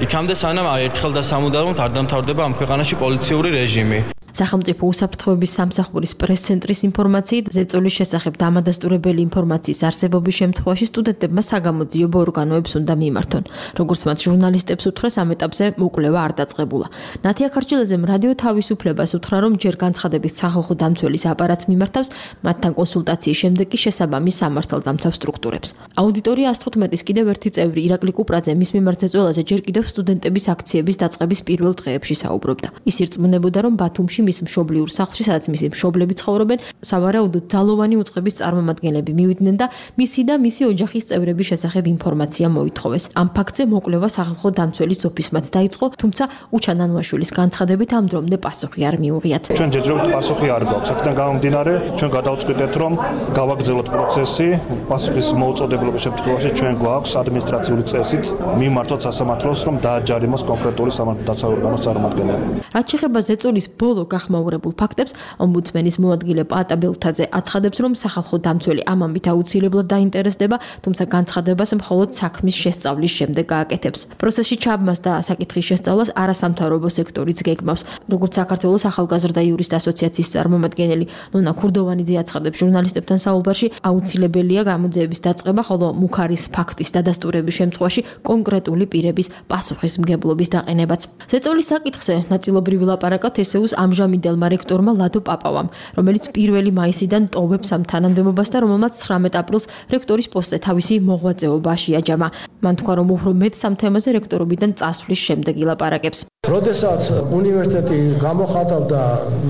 იქამდე სანამ ერთხელ და სამუდამოდ არ დამთავრდება ამ ქვეყანაში პოლიციური რეჟიმი. სახელმწიფო უსაფრთხოების სამსახურის პრეს-ცენტრის ინფორმაციით, ზეწოლის შესახებ დამადასტურებელი ინფორმაციის არსებობის შემთხვევაში სტუდენტებმა საგამოძიებო ორგანოებს უნდა მიიმართონ. როგორც მათ ჟურნალისტებს უთხრეს, ამ ეტაპზე მოკვლევა არ დაწყებულა. ნათია ქარჩილაძემ რადიო თავისუფლებას უთხრა, რომ ჯერ განცხადებით სახალხო დამცველის აპარატს მიმართავს, მათთან კონსულტაციის შემდეგ კი შესაბამის სამართალდამცავ სტრუქტურებს. აუდიტორია 115-ის კიდევ ერთი წევრი ირაკლი კუპრაძე მის მიმართ ზეწოლაზე ჯერ კიდევ სტუდენტების აქციების დაწყების პირველ დღეებში საუბრობდა. ის ირწმუნებოდა, რომ ბათუმში მის მშობლიურ სახლში, სადაც მისი მშობლები ცხოვრობენ, სავარაუდოდ ძალოვანი უწყების წარმომადგენლები მივიდნენ და მისი და მისი ოჯახის წევრების შესახებ ინფორმაცია მოითხოვეს. ამ ფაქტზე მოკვლევა სახალხო დამცველის ოფისმაც დაიწყო, თუმცა უჩანანუაშვილის განცხადებით ამ დრომდე პასუხი არ მიუღიათ. ჩვენ ჯერჯერობით პასუხი არ გვაქვს. აქედან გამომდინარე, ჩვენ გადავწყვიტეთ, რომ გავაგრძელოთ პროცესი. პასუხის მოუწოდებობის შემთხვევაში ჩვენ გვაქვს ადმინისტრაციული წესით მიმართოთ სასამართლოს, რომ დააჯარიმოს კონკრეტული სამართალდამცავ ორგანოს წარმომადგენელი. რაც შეეხება ზეწოლის ბოლო გახმაურებულ ფაქტებს, ომბუდსმენის მოადგილე პაატა ბელთაძე აცხადებს, რომ სახალხო დამცველი ამ ამბით აუცილებლად დაინტერესდება, თუმცა განცხადებას მხოლოდ საქმის შესწავლის შემდეგ გააკეთებს. პროცესში ჩაბმას და საკითხის შესწავლას არასამთავრობო სექტორიც გეგმავს. როგორც საქართველოს ახალგაზრდა იურისტ ასოციაციის წარმომადგენელი ნონა ქურდოვანიძე აცხადებს, ჟურნალისტებთან საუბარში აუცილებელია გამოძიების დაწყება, ხოლო მუქარის ფაქტის დადასტურების შემთხვევაში კონკრეტული პირების პასუხისმგებლობის დაყენებაც. ზეწოლის საკითხზე ნაწილობრივ ლაპარაკა თესეუს ამჟამინდელმა რექტორმა ლადო პაპავამ, რომელიც 1 მაისიდან ტოვებს ამ თანამდებობას და რომელმაც 19 აპრილს რექტორის პოსტზე თავისი მოღვაწეობა შეაჯამა. მან თქვა, რომ უფრო მეტ სამ თემაზე რექტორობიდან წასვლის შემდეგ ილაპარაკებს. როდესაც უნივერსიტეტი გამოხატავდა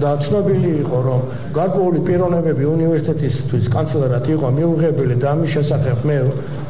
და ცნობილი იყო, რომ გარკვეული პიროვნებები უნივერსიტეტისთვის კანცლერად იყო მიუღებელი და ამის შესახებ მე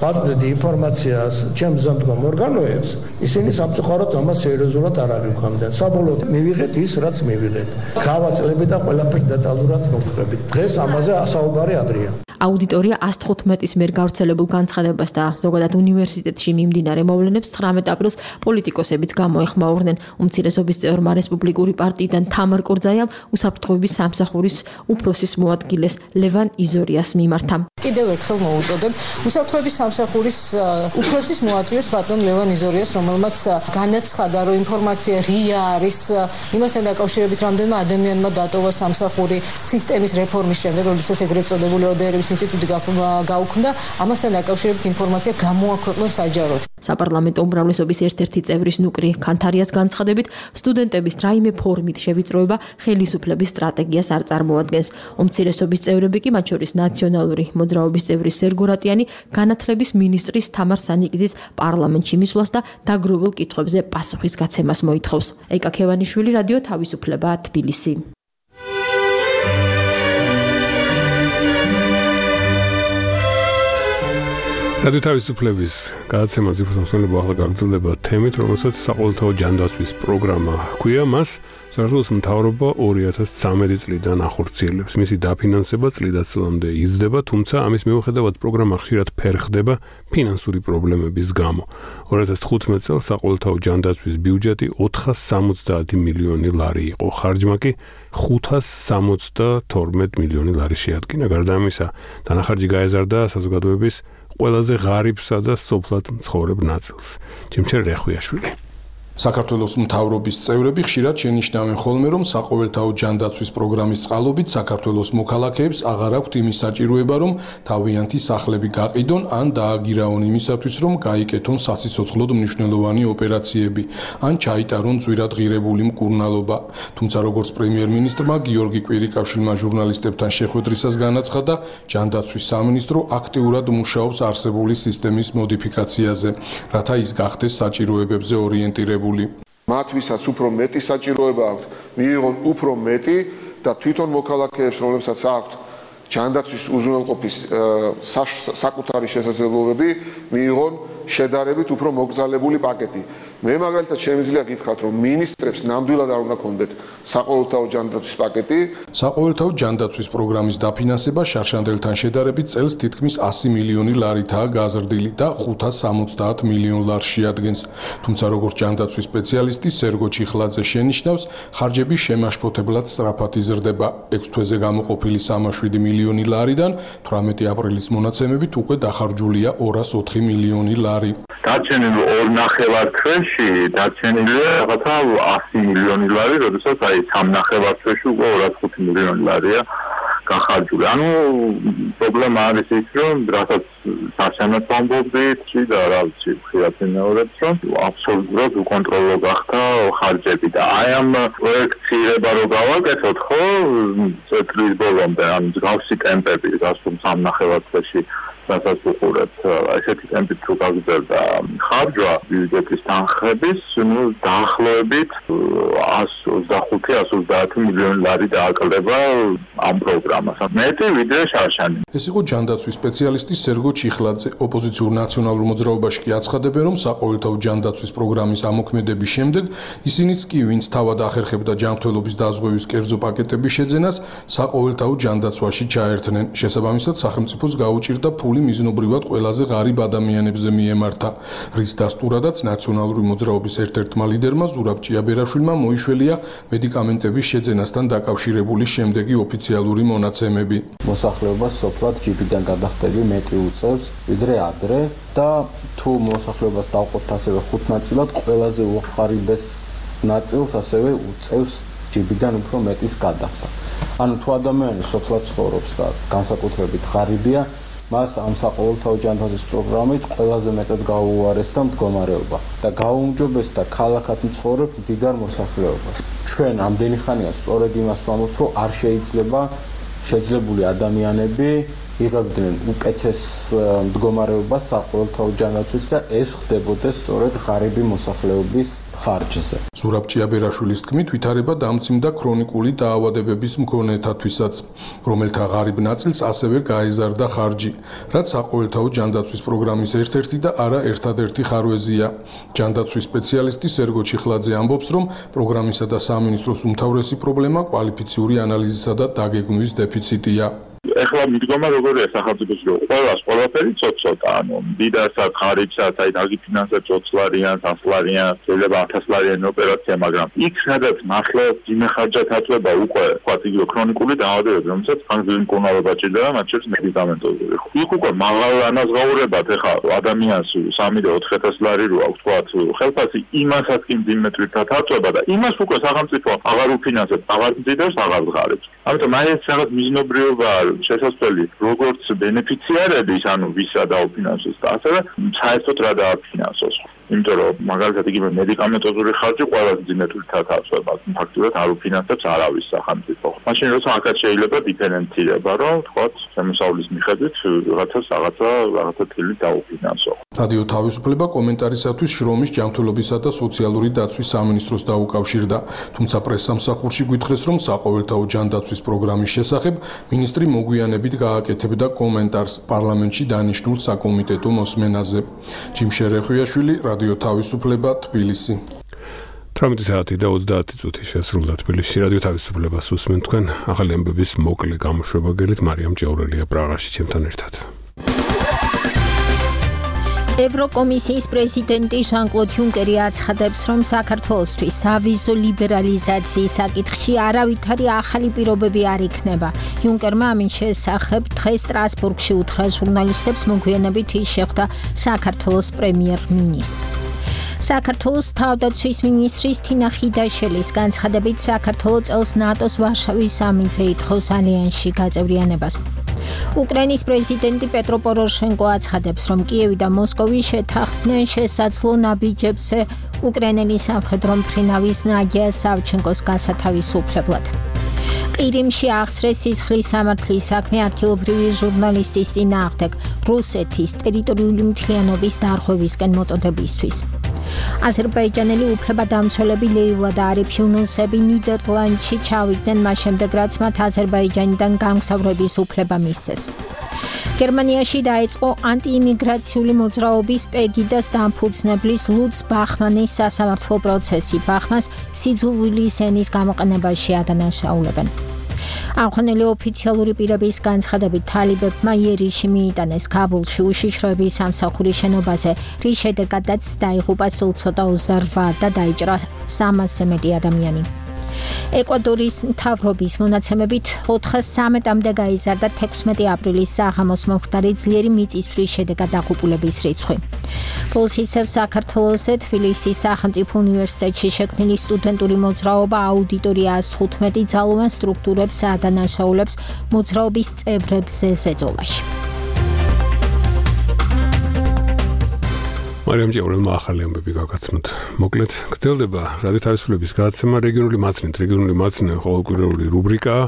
ვაწვდიდი ინფორმაციას ჩემ ზემდგომ ორგანოებს, ისინი სამწუხაროდ ამას სერიოზულად არ აღიქვამდნენ. საბოლოოდ მივიღეთ ის, რაც მივიღეთ. გავაძლევთ და ყველაფერს დეტალურად მოვყვებით. დღეს ამაზე საუბარი ადრეა. აუდიტორია 115-ის მიერ გავრცელებულ განცხადებას და ზოგადად უნივერსიტეტში მიმდინარე მოვლენებს 19 აპრილს პოლიტიკოსებიც გამოეხმაურნენ. უმცირესობის წევრმა რესპუბლიკური პარტიიდან თამარ კორძაიამ უსაფრთხოების სამსახურის უფროსის მოადგილეს ლევან იზორიას მიმართა. კიდევ ერთხელ მოუწოდებ უსაფრთხოების სამსახურის უფროსის მოადგილეს ბატონ ლევან იზორიას, რომელმაც განაცხადა, რომ ინფორმაცია ღია არის იმასთან დაკავშირებით, რამდენმა ადამიანმა დატოვა სამსახური სისტემის რეფორმის შემდეგ, როდესაც ეგრეთ წოდებული ODR-ების ინსტიტუტი გაუქმდა, ამასთან დაკავშირებით ინფორმაცია გამოაქვეყნეს საჯაროდ. საპარლამენტო უმრავლესობის ერთ-ერთი წევრის ნუკრი ქანთარიას განცხადებით, სტუდენტების რაიმე ფორმით შევიწროება ხელისუფლების სტრატეგიას არ წარმოადგენს. უმცირესობის წევრები კი, მათ შორის ნაციონალური მოძრაობის წევრი სერგო რატიანი განათლების მინისტრის თამარ სანიკიძის პარლამენტში მისვლას და დაგროვილ კითხვებზე პასუხის გაცემას მოითხოვს. ეკა ქევანიშვილი, რადიო თავისუფლება, თბილისი. რადიო თავისუფლების გადაცემა ძირფოსმოსლობა ახლა გაგრძელდება თემით, რომელსაც საყოველთაო ჯანდაცვის პროგრამა ჰქვია. მას საქართველოს მთავრობა 2013 წლიდან ახორციელებს. მისი დაფინანსება წლიდან წლამდე იზრდება, თუმცა ამის მიუხედავად პროგრამა ხშირად ფერხდება ფინანსური პრობლემების გამო. 2015 წელს საყოველთაო ჯანდაცვის ბიუჯეტი 470 მილიონი ლარი იყო, ხარჯმა კი 572 მილიონი ლარი შეადგინა. გარდა ამისა, დანახარჯი გაეზარდა საზოგადოების ყველაზე ღარიბსა და სოფლად მცხოვრებ ნაწილს. ჯიმჩერ რეხვიაშვილი. საქართველოს მთავრობის წევრები ხშირად შენიშნავენ ხოლმე, რომ საყოველთაო ჯანდაცვის პროგრამის წყალობით საქართველოს მოქალაქეებს აღარ აქვთ იმის საჭიროება, რომ თავიანთი სახლები გაყიდონ ან დააგირაონ იმისათვის, რომ გაიკეთონ სასიცოცხლოდ მნიშვნელოვანი ოპერაციები, ან ჩაიტარონ ძვირად ღირებული მკურნალობა. თუმცა როგორც პრემიერ-მინისტრმა გიორგი კვირიკაშვილმა ჟურნალისტებთან შეხვედრისას განაცხადა, ჯანდაცვის სამინისტრო აქტიურად მუშაობს არსებული სისტემის მოდიფიკაციაზე, რათა ის გახდეს საჭიროებებზე ორიენტირებული. მათ ვისაც უფრო მეტი საჭიროება აქვთ, მიიღონ უფრო მეტი და თვითონ მოქალაქეებს, რომლებსაც აქვთ ჯანდაცვის უზრუნველყოფის საკუთარი შესაძლებლობები, მიიღონ შედარებით უფრო მოკრძალებული პაკეტი. მე მაგალითად შემიძლია გითხრათ, რომ მინისტრებს ნამდვილად არ უნდა კონდეთ საყოველთაო ჯანდაცვის პაკეტი. საყოველთაო ჯანდაცვის პროგრამის დაფინანსება შარშანდელთან შედარებით წელს თითქმის 100 მილიონი ლარითაა გაზრდილი და 570 მილიონ ლარს შეადგენს. თუმცა როგორც ჯანდაცვის სპეციალისტი სერგო ჩიხლაძე შენიშნავს, ხარჯები შემაშფოთებლად სწრაფად იზრდება. 6 თვეზე გამოყოფილი 37 მილიონი ლარიდან 18 აპრილის მონაცემებით უკვე დახარჯულია 204 მილიონი ლარი. დარჩენილი 2.5 თვეში დარჩენილია რაღაცა 100 მილიონი ლარი, როდესაც აი 3.5 თვეში უკვე 205 მილიონი ლარია გახარჯული. ანუ პრობლემა არის ის, რომ რასაც საშემოწმ ამბობდით და რა ვიცი, ხშირად იმეორებს, რომ აბსოლუტურად უკონტროლო გახდა ხარჯები და აი ამ პროექტირება რო გავაკეთოთ, ხო, წლის ბოლომდე, ანუ მსგავსი ტემპები, გასულ 3.5 თვეში რასაც უყურებთ, ესეთი ტემპით თუ გაგრძელდა ხარჯვა ბიუჯეტის თანხების, დაახლოებით 125-130 მილიონი ლარი დააკლდება ამ პროგრამას. მეტი ვიდრე შარშანი. ეს იყო ჯანდაცვის სპეციალისტი სერგო ჩიხლაძე. ოპოზიციურ ნაციონალურ მოძრაობაში კი აცხადებენ, რომ საყოველთაო ჯანდაცვის პროგრამის ამოქმედების შემდეგ ისინიც კი, ვინც თავად ახერხებდა ჯანმრთელობის დაზღვევის კერძო პაკეტების შეძენას, საყოველთაო ჯანდაცვაში ჩაერთნენ. შესაბამისად, სახელმწიფოს გაუჭირდა ფული მიზნობრივად ყველაზე ღარიბ ადამიანებზე მიემართა, რის დასტურადაც ნაციონალური მოძრაობის ერთ-ერთმა ლიდერმა ზურაბ ჭიაბერაშვილმა მოიშველია მედიკამენტების შეძენასთან დაკავშირებული შემდეგი ოფიციალური მონაცემები. მოსახლეობას სოფლად ჯიბიდან გადახდები მეტი უწევს, ვიდრე ადრე და თუ მოსახლეობას დავყოთ ასევე 5 ნაწილად, ყველაზე უხარიბეს ნაწილს ასევე უწევს ჯიბიდან უფრო მეტის გადახდა. ანუ თუ ადამიანი სოფლად ცხოვრობს და განსაკუთრებით ღარიბია, მას ამ საყოველთაო ჯანდაცვის პროგრამით ყველაზე მეტად გაუუარესდა მდგომარეობა და გაუმჯობესდა ქალაქად მცხოვრებ მდიდარ მოსახლეობას. ჩვენ ამდენი ხანია სწორედ იმას ვამბობთ, რომ არ შეიძლება შეძლებული ადამიანები იღებდნენ უკეთეს მდგომარეობას საყოველთაო ჯანდაცვით და ეს ხდებოდეს სწორედ ღარიბი მოსახლეობის ხარჯზე. ზურაბ ჭიაბერაშვილის თქმით, ვითარება დამძიმდა ქრონიკული დაავადებების მქონეთათვისაც, რომელთა ღარიბ ნაწილს ასევე გაეზარდა ხარჯი, რაც საყოველთაო ჯანდაცვის პროგრამის ერთ-ერთი და არა ერთადერთი ხარვეზია. ჯანდაცვის სპეციალისტი სერგო ჩიხლაძე ამბობს, რომ პროგრამისა და სამინისტროს უმთავრესი პრობლემა კვალიფიციური ანალიზისა და დაგეგმვის დეფიციტია. ეხლა მიდგომა როგორია სახელმწიფოში, რომ ყველაფერი ცოტ-ცოტა, ანუ დიდასაც, ღარიბსაც, აი დაგიფინანსებს 20 ლარიან, 100 ლარიან, შეიძლება 1000 ლარიანი ოპერაცია, მაგრამ იქ სადაც მართლაც იმეხარჯათ აწვება უკვე, ვთქვათ, იგივე ქრონიკული დაავადებები, რომელსაც ხანგრძლივი მკურნალობა ჭირდება, მათ შორის მედიკამენტოზური. იქ უკვე მაღალ ანაზღაურებად ეხლა ადამიანს 3 და 4000 ლარი რო აქვს, ვთქვათ, ხელფასი იმასაც კი მძიმე თვირთად აწვება და იმას უკვე სახელმწიფო აღარ უფინანსებს, აღარ მძიდავს, აღარ ღარიბს. ამიტომ აი ეს რაღაც მიზნობრიობა შესაძლებელი როგორც ბენეფიციარების, ანუ ვისა დაუფინანსოს და ასევე საერთოდ რა დააფინანსოს. იმიტომ რომ მაგალითად იგივე მედიკამენტოზური ხარჯი ყველაზე ძიმეთულთან თავსდება, ფაქტობრივად არ უფინანსებს არავის სახელმწიფო. მაშინ როცა აქაც შეიძლება დიფერენცირება, რომ თქვათ შემოსავლის მიხედვით რაღაცა თილი დაუფინანსო. რადიო თავისუფლება კომენტარისათვის შრომის ჯანმრთელობისა და სოციალური დაცვის სამინისტროს დაუკავშირდა, თუმცა პრესსამსახურში გვითხრეს, რომ საყოველთაო ჯანდაცვის პროგრამის შესახებ მინისტრი მოგვიანებით გააკეთებდა კომენტარს პარლამენტში დანიშნულ საკომიტეტო მოსმენაზე. ჯიმ შერეხვიაშვილი, რადიო თავისუფლება, თბილისი. 18 საათი და 30 წუთი შესრულდა თბილისში რადიო თავისუფლებას უსმენთ თქვენ ახალი ამბების მოკლე გამოშვება გელით მარიამ ჭეურელია პრაღაში ჩემთან ერთად. ევროკომისიის პრეზიდენტი ჟან-კლოდ იუნკერი აცხადებს, რომ საქართველოსთვის სავიზო ლიბერალიზაციის საკითხში არავითარი ახალი პირობები არ იქნება. იუნკერმა ამის შესახებ დღეს სტრასბურგში უთხრა ჟურნალისტებს, მოგვიანებით ის შეხვდა საქართველოს პრემიერ-მინისტრს. საქართველოს თავდაცვის მინისტრის თინა ხიდაშელის განცხადებით საქართველოს წელს ნატოს ვარშავის სამინზე ითხოვს ალიანსში გაწევრიანებას. უკრაინის პრეზიდენტი პეტრო პოროშენკო აცხადებს, რომ კიევი და მოსკოვი შეთანხმდნენ შესაძლო ნაბიჯებზე უკრაინელი სამხედრო მფრინავის ნადია სავჩენკოს გასათავისუფლებლად. ყირიმში აღწრეს სისხლის სამართლის საქმე ადგილობრივი ჟურნალისტის წინააღმდეგ რუსეთის ტერიტორიული მთლიანობის დარღვევისკენ მოწოდებისთვის. აზერბაიჯანელი უფლებადამცველები ლეილა და არიფ იუნუსები ნიდერლანდში ჩავიდნენ მას შემდეგ, რაც მათ აზერბაიჯანიდან გამგზავრების უფლება მისცეს. გერმანიაში დაიწყო ანტიიმიგრაციული მოძრაობის პეგიდას დამფუძნებლის ლუც ბახმანის სასამართლო პროცესი. ბახმანს სიძულვილის ენის გამოყენებაში ადანაშაულებენ. ამხანელი ოფიციალური პირების განცხადებით თალიბებმა იერიში მიიტანეს ქაბულში უშიშროების სამსახურის შენობაზე, რის შედეგადაც დაიღუპა სულ ცოტა 28 და დაიჭრა 300-ზე მეტი ადამიანი. ეკვადორის მთავრობის მონაცემებით 413-მდე გაიზარდა 16 აპრილის საღამოს მომხდარი ძლიერი მიწისძვრის შედეგად დაღუპულების რიცხვი. Plus ისევ საქართველოსზე თბილისის სახელმწიფო უნივერსიტეტში შექმნილი სტუდენტური მოძრაობა აუდიტორია 115 ძალოვან სტრუქტურებს ადანაშაულებს მოძრაობის წევრებზე ზეწოლაში. მარიამ ჭეურელმა ახალი ამბები გაგაცნოთ. მოკლედ, გრძელდება რადიო თავისუფლების გადაცემა რეგიონული მაცნით. რეგიონული მაცნე ყოველკვირეული რუბრიკაა.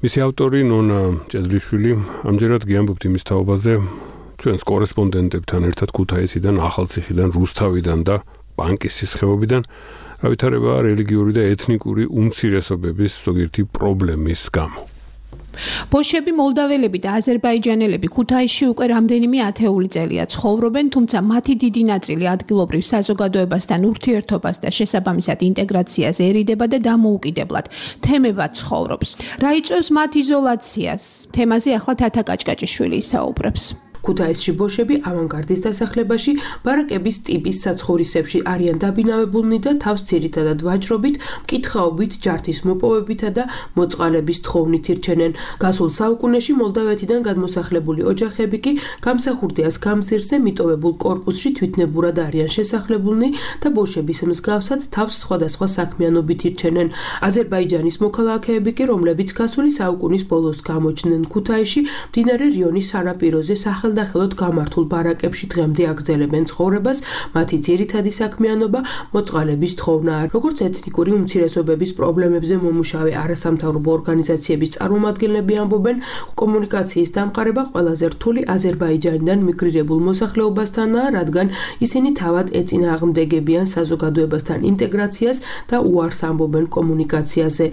მისი ავტორი ნონა ჭედლიშვილი ამჯერად გიამბობთ იმის თაობაზე ჩვენს კორესპონდენტებთან ერთად ქუთაისიდან, ახალციხიდან, რუსთავიდან და ბანკის სისხეობიდან ავითარება რელიგიური და ეთნიკური უმცირესობების ზოგიერთი პრობლემის გამო. ბოშები, მოლდაველები და აზერბაიჯანელები ქუთაისში უკვე რამდენიმე ათეული წელია ცხოვრობენ, თუმცა მათი დიდი ნაწილი ადგილობრივ საზოგადოებასთან ურთიერთობას და შესაბამისად ინტეგრაციას ერიდება და დამოუკიდებლად თემებად ცხოვრობს. რა იწვევს მათ იზოლაციას? თემაზე ახლა თათა კაჭკაჭიშვილი ისაუბრებს. ქუთაისში ბოშები ავანგარდის დასახლებაში, ბარაკების ტიპის საცხოვრისებში არიან დაბინავებულნი და თავს ძირითადად ვაჭრობით, მკითხაობით, ჯართის მოპოვებითა და მოწყალების თხოვნით ირჩენენ. გასულ საუკუნეში მოლდავეთიდან გადმოსახლებული ოჯახები კი გამსახურდიას გამზირზე მიტოვებულ კორპუსში თვითნებურად არიან შესახლებულნი და ბოშების მსგავსად თავს სხვადასხვა საქმიანობით ირჩენენ. აზერბაიჯანის მოქალაქეები კი, რომლებიც გასული საუკუნის ბოლოს გამოჩნდნენ ქუთაისში, მდინარე რიონის სანაპიროზე სახელდახელოდ გამართულ ბარაკებში დღემდე აგრძელებენ ცხოვრებას, მათი ძირითადი საქმიანობა მოწყალების თხოვნაა. როგორც ეთნიკური უმცირესობების პრობლემებზე მომუშავე არასამთავრობო ორგანიზაციების წარმომადგენლები ამბობენ, კომუნიკაციის დამყარება ყველაზე რთული აზერბაიჯანიდან მიგრირებულ მოსახლეობასთანაა, რადგან ისინი თავად ეწინააღმდეგებიან საზოგადოებასთან ინტეგრაციას და უარს ამბობენ კომუნიკაციაზე.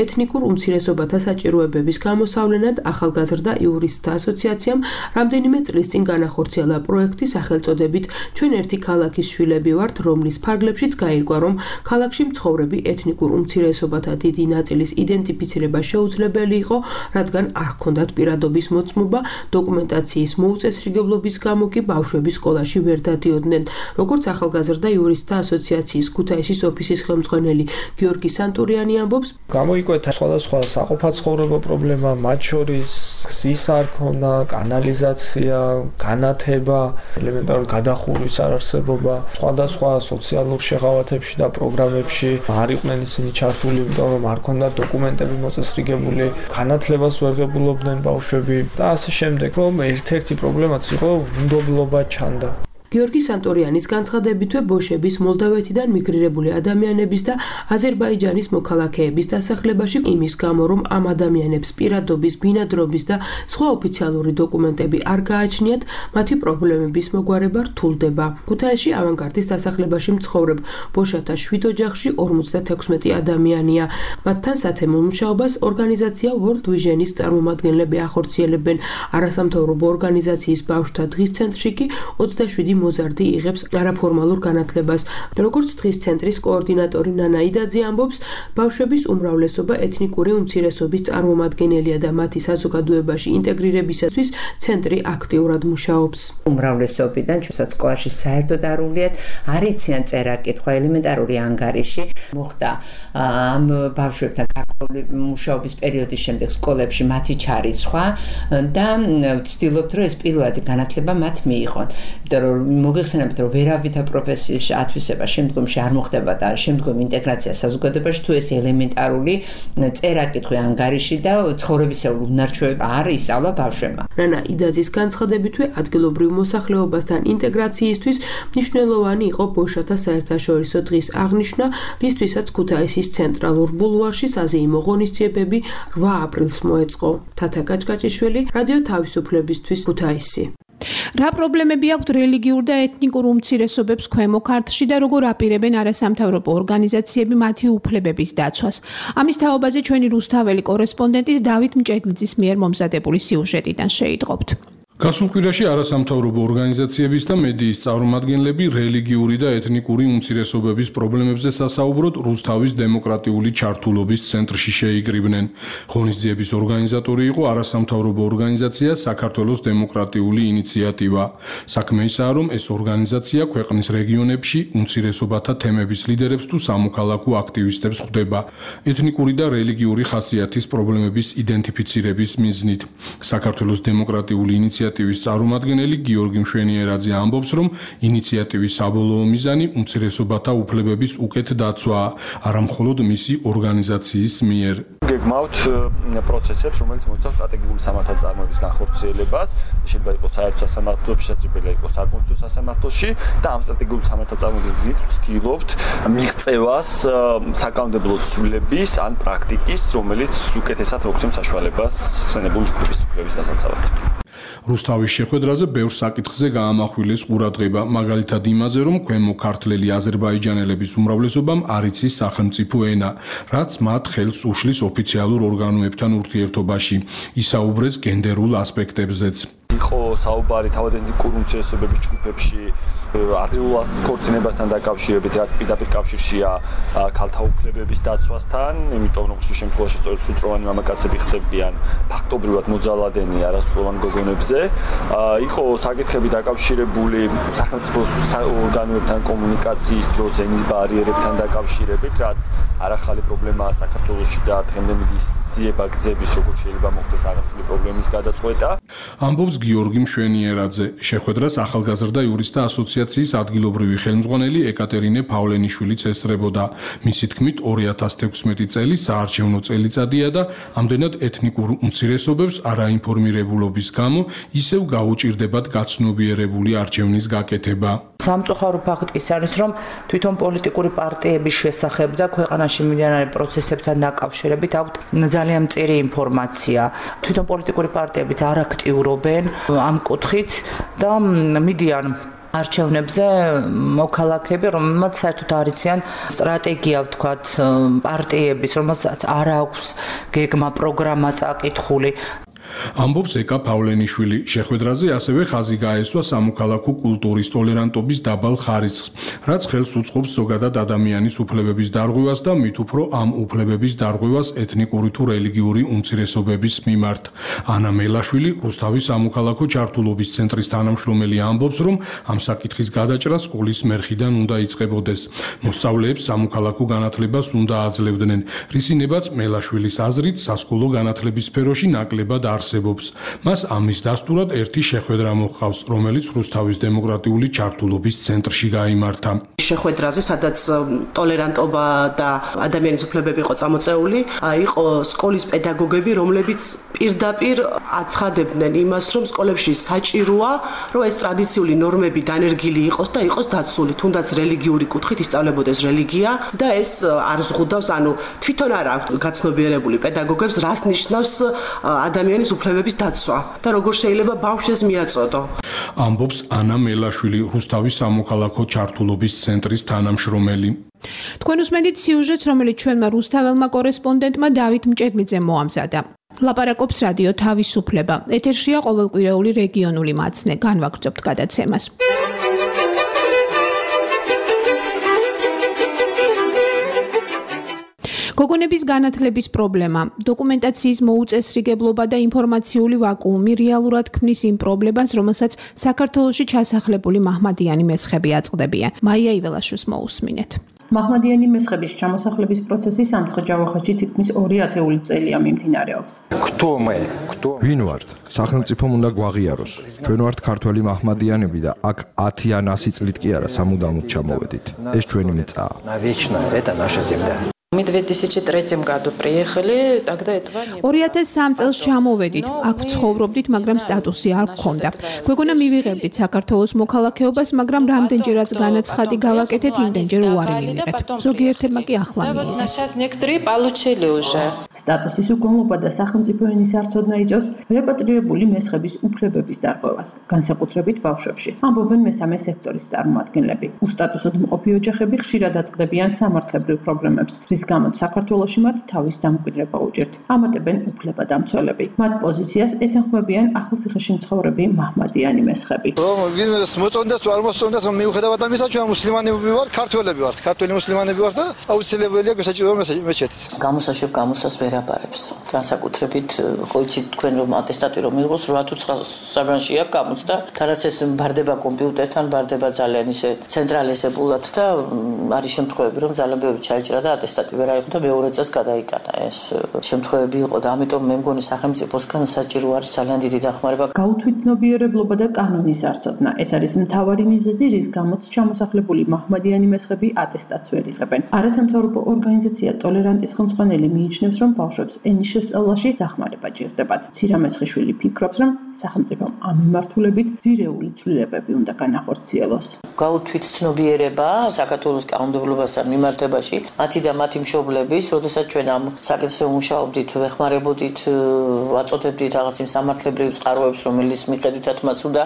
ეთნიკურ უმცირესობათა საჭიროებების გამოსავლენად ახალგაზრდა იურისტთა ასოციაციამ რამდენიმე წლის წინ განახორციელა პროექტი სახელწოდებით ჩვენ ერთი ქალაქის შვილები ვართ, რომლის ფარგლებშიც გაირკვა, რომ ქალაქში მცხოვრები ეთნიკურ უმცირესობათა დიდი ნაწილის იდენტიფიცირება შეუძლებელი იყო, რადგან არ ჰქონდათ პირადობის მოწმობა, დოკუმენტაციის მოუწესრიგებლობის გამო კი ბავშვები სკოლაში ვერ დადიოდნენ. როგორც ახალგაზრდა იურისტთა ასოციაციის ქუთაისის ოფისის ხელმძღვანელი გიორგი სანტურიანი ამბობს, გამოიკვეთა სხვადასხვა საყოფაცხოვრებო პრობლემა, მათ შორის გზის არ ქონა, კანალიზაცია, განათება, ელემენტარული გადახურვის არარსებობა, სხვადასხვა სოციალურ შეღავათებში და პროგრამებში არ იყვნენ ისინი ჩართული, იმიტომ რომ არ ქონდათ დოკუმენტები მოწესრიგებული, განათლებას ვერ ღებულობდნენ ბავშვები და ასე შემდეგ, რომ ერთ-ერთი პრობლემაც იყო უნდობლობა ჩანდა. გიორგი სანტორიანის განცხადებითვე ბოშების მოლდავეთიდან მიგრირებული ადამიანების და აზერბაიჯანის მოქალაქეების დასახლებაში იმის გამო, რომ ამ ადამიანებს პირადობის, ბინადრობის და სხვა ოფიციალური დოკუმენტები არ გააჩნიათ, მათი პრობლემების მოგვარება რთულდება. ქუთაისში ავანგარდის დასახლებაში მცხოვრებ ბოშათა 7 ოჯახში 56 ადამიანია. მათთან სათემო მუშაობას ორგანიზაცია World Vision-ის წარმომადგენლები ახორციელებენ. არასამთავრობო ორგანიზაციის ბავშვთა დღის ცენტრში კი 27 მოზარდი იღებს არაფორმალურ განათლებას. როგორც დღის ცენტრის კოორდინატორი ნანა იდაძე ამბობს, ბავშვების უმრავლესობა ეთნიკური უმცირესობის წარმომადგენელია და მათი საზოგადოებაში ინტეგრირებისათვის ცენტრი აქტიურად მუშაობს. უმრავლესობიდან ჩვენსაც სკოლაში საერთოდ არ უვლიათ, არ იციან წერა-კითხვა, ელემენტარული ანგარიში. მოხდა ამ ბავშვებთან გარკვეული მუშაობის პერიოდის შემდეგ სკოლებში მათი ჩარიცხვა და ვცდილობთ, რომ ეს პირველადი განათლება მათ მიიღონ. იმიტომ რომ მოგეხსენებათ, რომ ვერავითარ პროფესიის ათვისება შემდგომში არ მოხდება და შემდგომი ინტეგრაცია საზოგადოებაში თუ ეს ელემენტარული წერა-კითხვა ანგარიში და ცხოვრებისეული უნარჩვევები არ ისწავლა ბავშვებმა. რანა იდაძის განცხადებითვე ადგილობრივ მოსახლეობასთან ინტეგრაციისთვის მნიშვნელოვანი იყო ბოშათა საერთაშორისო დღის აღნიშვნა, რისთვისაც ქუთაისის ცენტრალურ ბულვარში საზეიმო ღონისძიებები 8 აპრილს მოეწყო. თათა კაჭკაჭიშვილი, რადიო თავისუფლებისთვის, ქუთაისი. რა პრობლემები აქვთ რელიგიურ და ეთნიკურ უმცირესობებს ქვემო ქართლში და როგორ აპირებენ არასამთავრობო ორგანიზაციები მათი უფლებების დაცვას? ამის თაობაზე ჩვენი რუსთაველი კორესპონდენტის დავით მჭედლიძის მიერ მომზადებული სიუჟეტიდან შეიტყობთ. გასულ კვირაში არასამთავრობო ორგანიზაციების და მედიის წარმომადგენლები რელიგიური და ეთნიკური უმცირესობების პრობლემებზე სასაუბროდ რუსთავის დემოკრატიული ჩართულობის ცენტრში შეიკრიბნენ. ღონისძიების ორგანიზატორი იყო არასამთავრობო ორგანიზაცია საქართველოს დემოკრატიული ინიციატივა. საქმე ისაა, რომ ეს ორგანიზაცია ქვეყნის რეგიონებში უმცირესობათა თემების ლიდერებს თუ სამოქალაქო აქტივისტებს ხვდება ეთნიკური და რელიგიური ხასიათის პრობლემების იდენტიფიცირების მიზნით. საქართველოს დემოკრატიული ინიციატივის წარმომადგენელი გიორგი მშვენიერაძე ამბობს, რომ ინიციატივის საბოლოო მიზანი უმცირესობათა უფლებების უკეთ დაცვაა, არა მხოლოდ მისი ორგანიზაციის მიერ. გეგმავთ პროცესებს, რომელიც მოიცავს სტრატეგიული სამართალწარმოების განხორციელებას, შეიძლება იყოს საერთო სასამართლოში, შეიძლება იყოს საკონსტიტუციო სასამართლოში და ამ სტრატეგიული სამართალწარმოების გზით ვცდილობთ მიღწევას საკანონმდებლო ცვლილების ან პრაქტიკის, რომელიც უკეთესად მოგცემს საშუალებას ხსენებული ჯგუფის უფლების დასაცავად. რუსთავის შეხვედრაზე ბევრ საკითხზე გაამახვილეს ყურადღება, მაგალითად იმაზე, რომ ქვემო ქართლელი აზერბაიჯანელების უმრავლესობამ არ იცის სახელმწიფო ენა, რაც მათ ხელს უშლის ოფიციალურ ორგანოებთან ურთიერთობაში. ისაუბრეს გენდერულ ასპექტებზეც. იყო საუბარი თავად ეთნიკური უმცირესობების ჯგუფებში ადრეულ ქორწინებასთან დაკავშირებით, რაც პირდაპირ კავშირშია ქალთა უფლებების დაცვასთან, იმიტომ რომ ხშირ შემთხვევაში სწორედ სრულწლოვანი მამაკაცები ხდებიან ფაქტობრივად მოძალადენი არასრულოვან გოგონებზე. იყო საკითხები დაკავშირებული სახელმწიფო ორგანოებთან კომუნიკაციის დროს ენის ბარიერებთან დაკავშირებით, რაც არახალი პრობლემაა საქართველოში და დღემდე მისძიება გზების, როგორც შეიძლება მოხდეს აღნიშნული პრობლემის გადაწყვეტა. ამბობს გიორგი მშვენიერაძე. შეხვედრას ახალგაზრდა იურისტთა ასოციაციის ადგილობრივი ხელმძღვანელი ეკატერინე პავლენიშვილიც ესწრებოდა. მისი თქმით 2016 წელი საარჩევნო წელიწადია და ამდენად ეთნიკურ უმცირესობებს არაინფორმირებულობის გამო ისევ გაუჭირდებათ გაცნობიერებული არჩევნის გაკეთება. სამწუხარო ფაქტი ის არის, რომ თვითონ პოლიტიკური პარტიების შესახებ და ქვეყანაში მიმდინარე პროცესებთან დაკავშირებით აქვთ ძალიან მწირი ინფორმაცია. თვითონ პოლიტიკური პარტიებიც არ აქტიურობენ ამ კუთხით და მიდიან არჩევნებზე მოქალაქეები, რომელმაც საერთოდ არ იციან სტრატეგია, ვთქვათ, პარტიების, რომელსაც არ აქვს გეგმა, პროგრამა წაკითხული. ამბობს ეკა პავლენიშვილი. შეხვედრაზე ასევე ხაზი გაესვა სამოქალაქო კულტურის ტოლერანტობის დაბალ ხარისხს, რაც ხელს უწყობს ზოგადად ადამიანის უფლებების დარღვევას და მით უფრო ამ უფლებების დარღვევას ეთნიკური თუ რელიგიური უმცირესობების მიმართ. ანა მელაშვილი, რუსთავის სამოქალაქო ჩართულობის ცენტრის თანამშრომელი ამბობს, რომ ამ საკითხის გადაჭრა სკოლის მერხიდან უნდა იწყებოდეს. მოსწავლეებს სამოქალაქო განათლებას უნდა აძლევდნენ. რისინებაც მელაშვილის აზრით სასკოლო განათლების სფეროში ნაკლებად არსებობს. მას ამის დასტურად ერთი შეხვედრა მოჰყავს, რომელიც რუსთავის დემოკრატიული ჩართულობის ცენტრში გაიმართა. შეხვედრაზე, სადაც ტოლერანტობა და ადამიანის უფლებები იყო წამოწეული, იყო სკოლის პედაგოგები, რომლებიც პირდაპირ აცხადებდნენ იმას, რომ სკოლებში საჭიროა, რომ ეს ტრადიციული ნორმები დანერგილი იყოს და იყოს დაცული, თუნდაც რელიგიური კუთხით ისწავლებოდეს რელიგია და ეს არ ზღუდავს, ანუ თვითონ არ აქვს გაცნობიერებული პედაგოგებს, რას ნიშნავს ადამიანის უფლებების დაცვა და როგორ შეიძლება ბავშვს მიაწოდო. ამბობს ანა მელაშვილი, რუსთავის სამოქალაქო ჩართულობის ცენტრის თანამშრომელი. თქვენ უსმენთ სიუჟეტს, რომელიც ჩვენმა რუსთაველმა კორესპონდენტმა დავით მჭედლიძემ მოამზადა. ლაპარაკობს რადიო თავისუფლება. ეთერშია ყოველკვირეული რეგიონული მაცნე. განვაგრძობთ გადაცემას. გოგონების განათლების პრობლემა, დოკუმენტაციის მოუწესრიგებლობა და ინფორმაციული ვაკუუმი რეალურად ქმნის იმ პრობლემას, რომელსაც საქართველოში ჩასახლებული მაჰმადიანი მესხები აწყდებიან. მაია იველაშვილს მოусმინეთ. მაჰმადიანი მესხების ჩამოსახლების პროცესი სამცხე-ჯავახეთში თითქმის 2 ათეული წელია მიმდინარეობს. ვინ ვართ? სახელმწიფომ უნდა გვაღიაროს. ჩვენ ვართ ქართველი მაჰმადიანები და აქ 10 ან 100 წლით კი არა სამუდამოდ ჩამოვედით. ეს ჩვენი მიწაა. Мы в 2003 году приехали, тогда этого не было. 2003 წელს ჩამოვედით, აქ ცხოვრობდით, მაგრამ სტატუსი არ გქონდა. გვეგონა მივიღებდით საქართველოს მოქალაქეობას, მაგრამ რამდენჯერაც განაცხადი გავაკეთეთ, იმდენჯერ უარი მივიღეთ. ზოგიერთებმა კი ახლა მიიღეს. Сейчас некоторые получили уже. სტატუსის უგონლობა და სახელმწიფო ენის არცოდნა იწვევს რეპატრიებული მესხების უფლებების დარღვევას, განსაკუთრებით ბავშვებში. ამბობენ მესამე სექტორის წარმომადგენლები. უსტატუსოდ მყოფი ოჯახები ხშირად აწყდებიან სამართლებრივ პრობლემებს. რის გამოც საქართველოში მათ თავის დამკვიდრება უჭირთ. ამატებენ უფლებადამცველები. მათ პოზიციას ეთანხმებიან ახალციხეში მცხოვრები მაჰმადიანი მესხები. ვინმეს მოწონდეს თუ არ მოსწონდეს, მიუხედავად ამისა, ჩვენ მუსლიმანები ვართ, ქართველები ვართ, ქართველი მუსლიმანები ვართ და აუცილებელია გვესაჭირო მეჩეთის. გამოსაშვებ გამოსას ვერ აბარებს. განსაკუთრებით ხო იცით თქვენ რომ ატესტატი რომ მიიღოს 8 თუ 9 საგანში აქვს გამოცდა, თანაც ეს ბარდება კომპიუტერთან, ბარდება ძალიან ისე ცენტრალიზებულად და არის შემთხვევები რომ ძალიან ბევრი ჩაიჭრა და ატესტატი ვერ აიღო და მეორე წელს გადაიტანა. ეს შემთხვევები იყო და ამიტომ მე მგონი სახელმწიფოსგან საჭირო არის ძალიან დიდი დახმარება. გაუთვითნობიერებლობა და კანონის არცოდნა. ეს არის მთავარი მიზეზი, რის გამოც ჩამოსახლებული მაჰმადიანი მესხები ატესტატს ვერ იღებენ. არასამთავრობო ორგანიზაცია ტოლერანტის ხელმძღვანელი მიიჩნევს, რომ ბავშვებს ენის შესწავლაში დახმარება ჭირდებათ. ცირამესხიშვილი ფიქრობს, რომ სახელმწიფომ ამ მიმართულებით ძირეული ცვლილებები უნდა განახორციელოს. გაუთვითცნობიერება საქართველოს კანონმდებლობასთან მიმართებაში მათი და მათი მშობლების, როდესაც ჩვენ ამ საკითხზე ვმუშაობდით, ვეხმარებოდით, ვაწოდებდით რაღაც იმ სამართლებრივ წყაროებს, რომელიც მიხედვითაც მას უნდა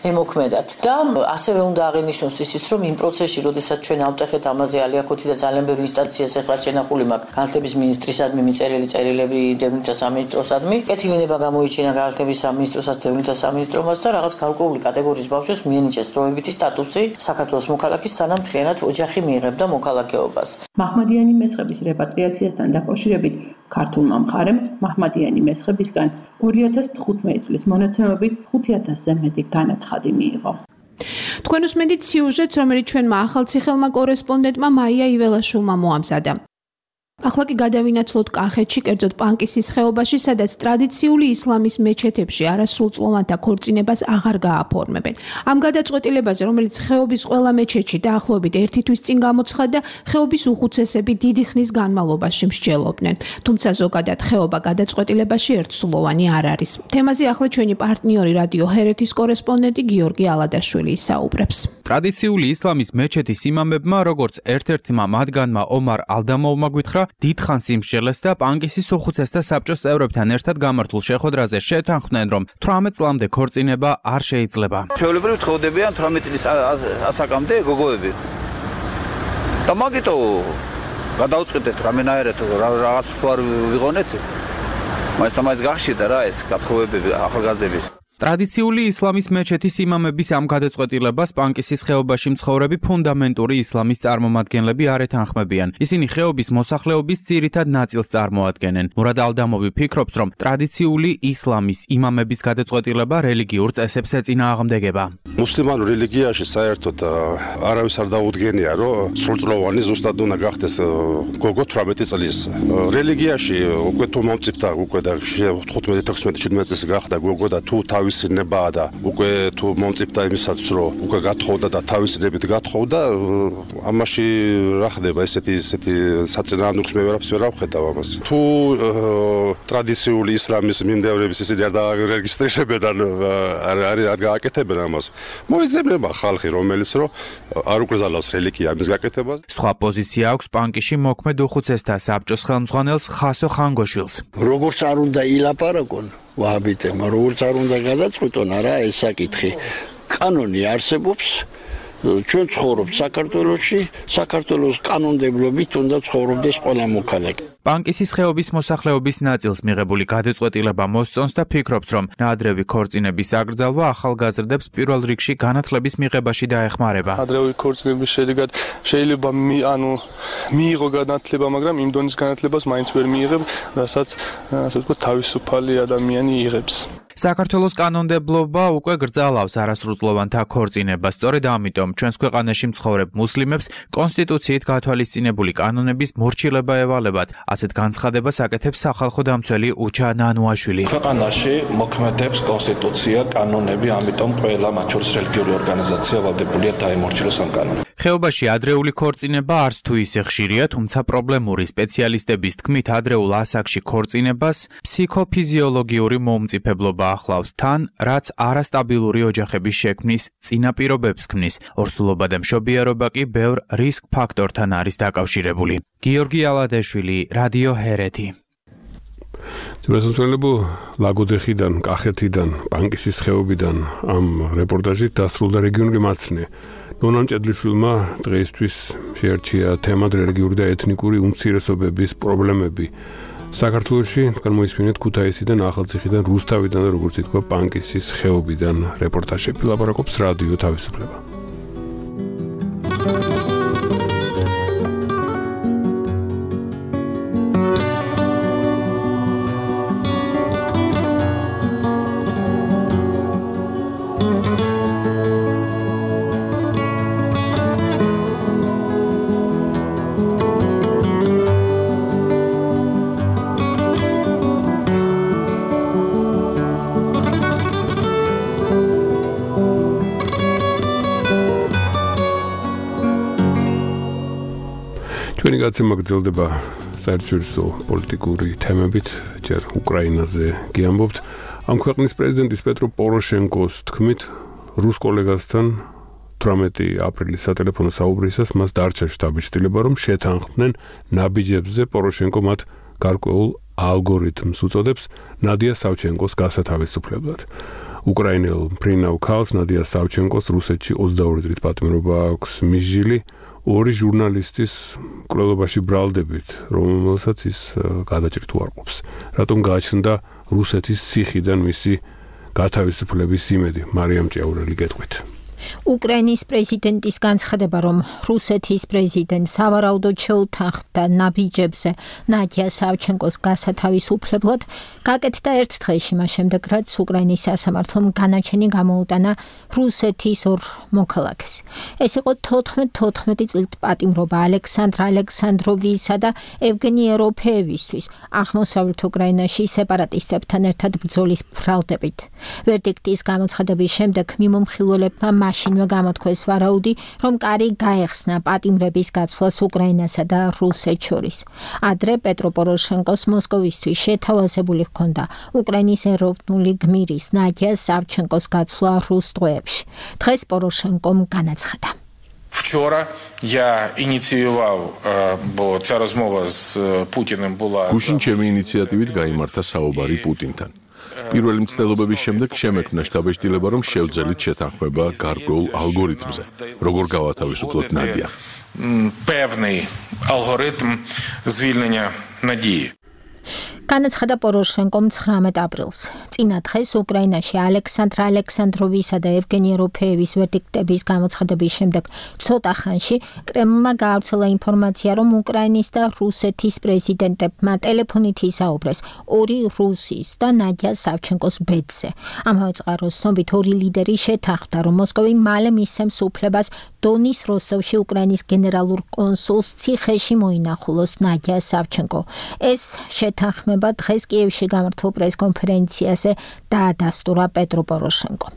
ემოქმედათ. და ასევე უნდა აღინიშნოს ისიც, რომ იმ პროცესში, როდესაც ჩვენ ავტეხეთ ამაზე ალიაკოთი და ძალიან ბევრი ინსტანციას ეხლა შენახული მაქვს, განათლების მინისტრისადმი, მიწერილი წერილები დევნილთა სამინისტროსადმი, კეთილინება გამოიჩინა განათლების სამინისტროსაც, დევნილთა სამინისტრომაც და რაღაც გარკვეული კატეგორიის ბავშვებს მიენიჭეს დროებითი სტატუსი საქართველოს მოქალაქის, სანამ მთლიანად ოჯახი მიიღებდა მოქალაქეობას. მაჰმადიანი მესხების რეპატრიაციასთან დაკავშირებით ქართულმა მხარემ მაჰმადიანი მესხებისგან 2015 წლის მონაცემებით 5000-ზე მეტი განაცხადი მიიღო. თქვენ უსმენთ სიუჟეტს, რომელიც ჩვენმა ახალციხელმა კორესპონდენტმა მაია იველაშვილმა მოამზადა. ახლა კი გადავინაცვლოთ კახეთში, კერძოდ პანკისის ხეობაში, სადაც ტრადიციული ისლამის მეჩეთებში არასრულწლოვანთა ქორწინებას აღარ გააფორმებენ. ამ გადაწყვეტილებაზე, რომელიც ხეობის ყველა მეჩეთში დაახლოებით 1 თვის წინ გამოცხადდა, ხეობის უხუცესები დიდი ხნის განმავლობაში მსჯელობდნენ. თუმცა ზოგადად ხეობა გადაწყვეტილებაში ერთსულოვანი არ არის. თემაზე ახლა ჩვენი პარტნიორი რადიო ჰერეთის კორესპონდენტი გიორგი ალადაშვილი ისაუბრებს. ტრადიციული ისლამის მეჩეთის იმამებმა, როგორც ერთ-ერთმა მათგანმა ომარ ალდამოვმა გვითხრა, დიდხანს იმსჯელეს და პანკისის უხუცესთა საბჭოს წევრებთან ერთად გამართულ შეხვედრაზე შეთანხმდნენ, რომ 18 წლამდე ქორწინება არ შეიძლება. ჩვეულებრივ თხოვდებიან 18 წლის ასაკამდე გოგოები. და მაგიტო გადაუწყვეტეთ რამენაერად რაღაც ვარ ვიღონეთ. მაინც გახშირდა რა ეს გათხოვებები ახალგაზრდების. ტრადიციული ისლამის მეჩეთის იმამების ამ გადაწყვეტილებას პანკისის ხეობაში მცხოვრები ფუნდამენტური ისლამის წარმომადგენლები არ ეთანხმებიან. ისინი ხეობის მოსახლეობის ძირითად ნაწილს წარმოადგენენ. მურად ალდამოვი ფიქრობს, რომ ტრადიციული ისლამის იმამების გადაწყვეტილება რელიგიურ წესებს ეწინააღმდეგება. მუსლიმანურ რელიგიაში საერთოდ არავის არ დაუდგენია, რომ სრულწლოვანი ზუსტად უნდა გახდეს გოგო 18 წლის. რელიგიაში უკვე თუ მომწიფდა უკვე და 15-16-17 წლის გახდა გოგო და თუ თავი თავისინებაა და უკვე თუ მომწიფდა იმისაც რომ უკვე გათხოვდა და თავისინებით გათხოვდა ამაში რა ხდება ესეთი საწინააღმდეგოს მე ვერაფერს ვერ ავხედავ ამას თუ ტრადიციული ისლამის მიმდევრების ისინი არ დაარეგისტრირებენ არ გააკეთებენ ამას მოიძებნება ხალხი რომელიც რომ არ უკრძალავს რელიგია ამის გაკეთებას სხვა პოზიცია აქვს პანკიში მოქმედ უხუცესთა საბჭოს ხელმძღვანელს ხასო ხანგოშვილს როგორც არ უნდა ილაპარაკონ ვაჰაბიტებმა როგორც არ უნდა გადაწყვიტონ არა ეს საკითხი კანონი არსებობს ჩვენ ცხოვრობთ საქართველოში საქართველოს კანონმდებლობით უნდა ცხოვრობდეს ყველა მოქალაქე პანკისის ხეობის მოსახლეობის ნაწილს მიღებული გადაწყვეტილება მოსწონს და ფიქრობს, რომ ნაადრევი ქორწინების აკრძალვა ახალგაზრდებს პირველ რიგში განათლების მიღებაში დაეხმარება. ნაადრევი ქორწინების შედეგად შეიძლება მიიღო განათლება, მაგრამ იმ დონის განათლებას მაინც ვერ მიიღებ, რასაც ასე ვთქვათ, თავისუფალი ადამიანი იღებს. საქართველოს კანონმდებლობა უკვე გრძალავს არასრულწლოვანთა ქორწინებას. სწორედ ამიტომ ჩვენს ქვეყანაში მცხოვრებ მუსლიმებს კონსტიტუციით გათვალისწინებული კანონების მორჩილება ევალებათ. ასეთ განცხადებას აკეთებს სახალხო დამცველი უჩა ნანუაშვილი. ქვეყანაში მოქმედებს კონსტიტუცია, კანონები, ამიტომ ყველა მათ შორის რელიგიური ორგანიზაცია ვალდებულია დაემორჩილოს ამ კანონებს. ხეობაში ადრეული ქორწინება არც თუ ისე ხშირია, თუმცა პრობლემური სპეციალისტების თქმით ადრეულ ასაკში ქორწინებას ფსიქოფიზიოლოგიური მომწიფებლობა ახლავს თან, რაც არასტაბილური ოჯახების შექმნის წინაპირობებს ქმნის. ორსულობა და მშობიარობა კი ბევრ რისკ ფაქტორთან არის დაკავშირებული. გიორგი ალადეშვილი, რადიო ჰერეთი. თუმცა ლაგოდეხიდან, კახეთიდან, პანკისის ხეობიდან ამ რეპორტაჟით დასრულდა რეგიონული მაცნე. ნონა მჭედლიშვილმა დღეისთვის შეარჩია თემად რელიგიური და ეთნიკური უმცირესობების პრობლემები. საქართველოში გამოისმინეთ ქუთაისიდან, ახალციხიდან, რუსთავიდან და როგორც ითქვა, პანკისის ხეობიდან რეპორტაჟები. ლაპარაკობს რადიო თავისუფლება. გაცემა გრძელდება საერთაშორისო პოლიტიკური თემებით, ჯერ უკრაინაზე გიამბობთ. ამ ქვეყნის პრეზიდენტის პეტრო პოროშენკოს თქმით, რუს კოლეგასთან 18 აპრილის სატელეფონო საუბრისას მას დარჩა შტაბის-ცდილება, რომ შეთანხმდნენ ნაბიჯებზე. პოროშენკო მათ გარკვეულ ალგორითმს უწოდებს ნადია სავჩენკოს გასათავისუფლებლად. უკრაინელ ფრინავ ქალს ნადია სავჩენკოს რუსეთში 22 დღით პატიმრობა აქვს მისჯილი. ორი ჟურნალისტის კვლევაში ბრალდებით, რომელსაც ის გადაჭრით უარყოფს. რატომ გააჩნდა რუსეთის ციხიდან მისი გათავისუფლების იმედი? მარიამ ჭეურელი გეტყვით. უკრაინის პრეზიდენტის განცხადება, რომ რუსეთის პრეზიდენტს სავარაუდოდ შეუთანხმდა ნაბიჯებზე ნადია სავჩენკოს გასათავისუფლებლად, გაკეთდა ერთ დღეში, მას შემდეგ, რაც უკრაინის სასამართლომ განაჩენი გამოუტანა რუსეთის ორ მოქალაქეს. ეს იყო 14 წლით პატიმრობა ალექსანდრ ალექსანდროვისა და ევგენი ეროფეევისთვის აღმოსავლეთ უკრაინაში სეპარატისტებთან ერთად ბრძოლის ბრალდებით. ვერდიქტის გამოცხადების შემდეგ მიმომხილველებმა მაშინვე გამოთქვეს ვარაუდი, რომ კარი გაეხსნა პატიმრების გაცვლას უკრაინასა და რუსეთს შორის. ადრე პეტრო პოროშენკოს მოსკოვისთვის შეთავაზებული ჰქონდა უკრაინის ეროვნული გმირის ნადია სავჩენკოს გაცვლა რუს ტყვეებში. დღეს პოროშენკომ განაცხადა. Вчора я инициировал, бо ця розмова з Путіним була გუშინ ჩემი ინიციატივით გაიმართა საუბარი პუტინთან. პირველი მცდელობების შემდეგ შემექმნა შტაბ-ცდილება, რომ შევძელით შეთანხმება გარკვეულ ალგორითმზე, როგორ გავათავისუფლოთ ნადია. Певний алгоритм звільнення Надії. განაცხადა პოროშენკომ 19 აპრილს. წინა დღეს უკრაინაში ალექსანდრ ალექსანდროვისა და ევგენი ეროფეევის ვერდიქტების გამოცხადების შემდეგ ცოტა ხანში კრემლმა გაავრცელა ინფორმაცია, რომ უკრაინის და რუსეთის პრეზიდენტებმა ტელეფონით ისაუბრეს ორი რუსის და ნადია სავჩენკოს ბედზე. ამავე წყაროს ცნობით ორი ლიდერი შეთანხმდა, რომ მოსკოვი მალე მისცემს უფლებას დონის როსტოვში უკრაინის გენერალურ კონსულს ციხეში მოინახულოს ნადია სავჩენკო. ეს შეთანხმება ეხება დღეს კიევში გამართულ პრესკონფერენციაზე დაადასტურა პეტრო პოროშენკომ.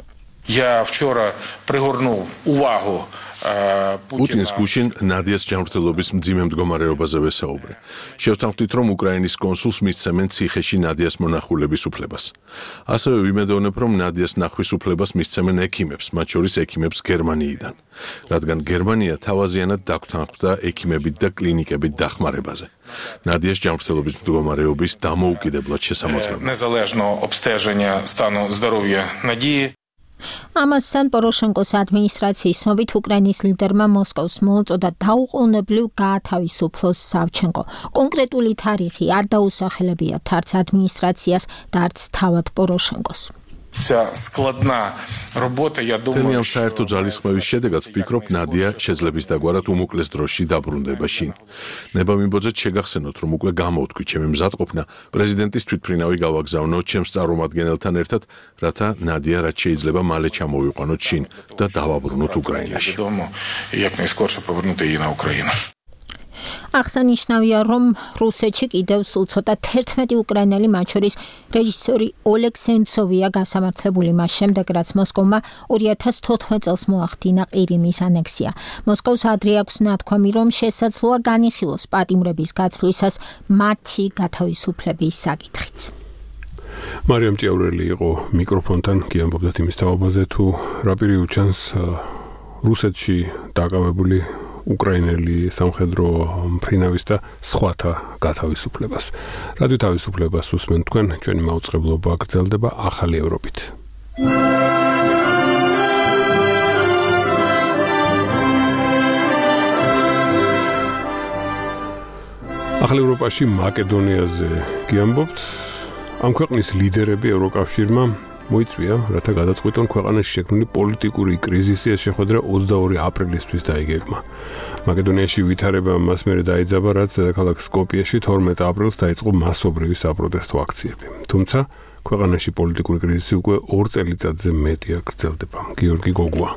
Я вчера пригорнул увагу პუტინს გუშინ ნადიას ჯანმრთელობის მძიმე მდგომარეობაზე ვესაუბრე. შევთანხმდით, რომ უკრაინის კონსულს მისცემენ ციხეში ნადიას მონახულების უფლებას. ასევე ვიმედოვნებ, რომ ნადიას ნახვის უფლებას მისცემენ ექიმებს, მათ შორის ექიმებს გერმანიიდან, რადგან გერმანია თავაზიანად დაგვთანხმდა ექიმებით და კლინიკებით დახმარებაზე. ნადიას ჯანმრთელობის მდგომარეობის დამოუკიდებლად შესამოწმება. Незалежного обстеження стану здоров'я Надії. ამასთან პოროშენკოს ადმინისტრაციის ცნობით უკრაინის ლიდერმა მოსკოვს მოუწოდა დაუყოვნებლივ გაათავისუფლოს სავჩენკო. კონკრეტული თარიღი არ დაუსახელებიათ არც ადმინისტრაციას და არც თავად პოროშენკოს. Ця складна робота, я думаю, თემიან საერთო ძალისხმევის შედეგად ვფიქრობ, ნადია შეძლებს დაგვარად უმოკლეს დროში დაბრუნდება შინ. ნება მიმბოძეთ შეგახსენოთ, რომ უკვე გამოვთქვი ჩემი მზადყოფნა პრეზიდენტის თვითმფრინავი გავაგზავნო ჩემს წარმომადგენელთან ერთად, რათა ნადია რაც შეიძლება მალე ჩამოვიყვანოთ შინ და დავაბრუნოთ უკრაინაში. як найскорше повернути її на Україну. აღსანიშნავია, რომ რუსეთში კიდევ სულ ცოტა 11 უკრაინელი, მათ შორის რეჟისორი ოლეგ სენცოვია გასამართლებული მას შემდეგ, რაც მოსკოვმა 2014 წელს მოახდინა ყირიმის ანექსია. მოსკოვს ადრე აქვს ნათქვამი, რომ შესაძლოა განიხილოს პატიმრების გაცვლისას მათი გათავისუფლების საკითხიც. მარიამ ჭიაურელი იყო მიკროფონთან, კი ამბობდა იმის თაობაზე, თუ რა პირი უჩანს რუსეთში დაკავებული უკრაინელი სამხედრო მფრინავის და სხვათა გათავისუფლებას. რადიო თავისუფლებას უსმენთ თქვენ, ჩვენი მაუწყებლობა გრძელდება ახალი ევროპით. ახალ ევროპაში მაკედონიაზე გიამბობთ. ამ ქვეყნის ლიდერები ევროკავშირმა მოიწვია, რათა გადაწყვიტონ ქვეყანაში შექმნილი პოლიტიკური კრიზისი, ეს შეხვედრა 22 აპრილისთვის დაიგეგმა. მაკედონიაში ვითარება მას მერე დაიძაბა, რაც დედაქალაქ სკოპიეში 12 აპრილს დაიწყო მასობრივი საპროტესტო აქციები. თუმცა ქვეყანაში პოლიტიკური კრიზისი უკვე 2 წელიწადზე მეტია გრძელდება. გიორგი გოგუა.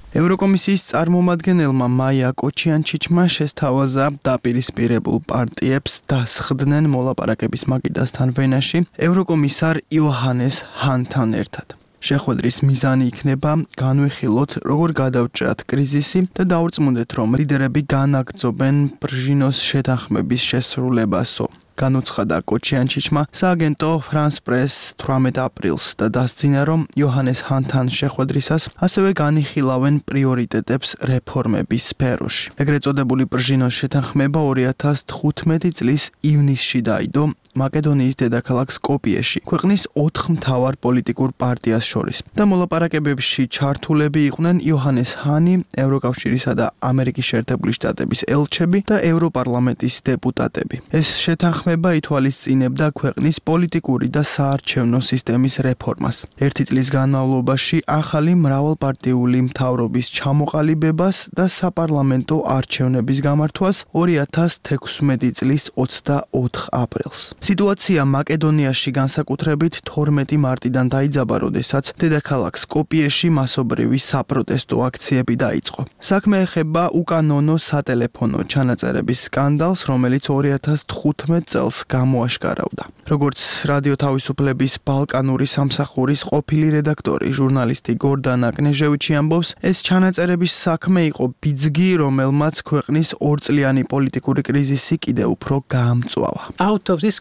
ევროკომისიის წარმომადგენელმა მაია კოჩიანჩიჩმა შესთავაზა დაპირისპირებულ პარტიებს დასხდნენ მოლაპარაკების მაგიდასთან ვენაში ევროკომისარ იოჰანეს ჰანთან ერთად. შეხვედრის მიზანი იქნება განვიხილოთ, როგორ გადავჭრათ კრიზისი და დაურწმუნდეთ, რომ ლიდერები განაგრძობენ ბრჟინოს შეთანხმების შესრულებასო. განუცხადა კოჩიანჩიჩმა სააგენტო France Press 18 აპრილს და დასძინა, რომ იოჰანეს ჰანთან შეხვედრისას ასევე განიხილავენ პრიორიტეტებს რეფორმების სფეროში. ეგრეთ წოდებული ბრჟინოს შეთანხმება 2015 წლის ივნისში დაიდო მაკედონიის დედაქალაქ სკოპიეში, ქვეყნის 4 მთავარ პოლიტიკურ პარტიას შორის. და მოლაპარაკებებში ჩართულები იყვნენ იოჰანეს ჰანი, ევროკავშირისა და ამერიკის შეერთებული შტატების ელჩები და ევროპარლამენტის დეპუტატები. ეს შეთანხმება ითვალისწინებდა ქვეყნის პოლიტიკური და საარჩევნო სისტემის რეფორმას. 1 წლის განმავლობაში ახალი მრავალპარტიული მთავრობის ჩამოყალიბებას და საპარლამენტო არჩევნების გამართვას 2016 წლის 24 აპრილს. სიტუაცია მაკედონიაში განსაკუთრებით 12 მარტიდან დაიძაბა, როდესაც დედაქალაქ სკოპიეში მასობრივი საპროტესტო აქციები დაიწყო. საქმე ეხება უკანონო სატელეფონო ჩანაწერების სკანდალს, რომელიც 2015 წელს გამოაშკარავდა. როგორც რადიო თავისუფლების ბალკანური სამსახურის ყოფილი რედაქტორი, ჟურნალისტი გორდანა კნეჟევიჩი ამბობს, ეს ჩანაწერების საქმე იყო ბიძგი, რომელმაც ქვეყნის 2 წლიანი პოლიტიკური კრიზისი კიდევ უფრო გაამწვავა.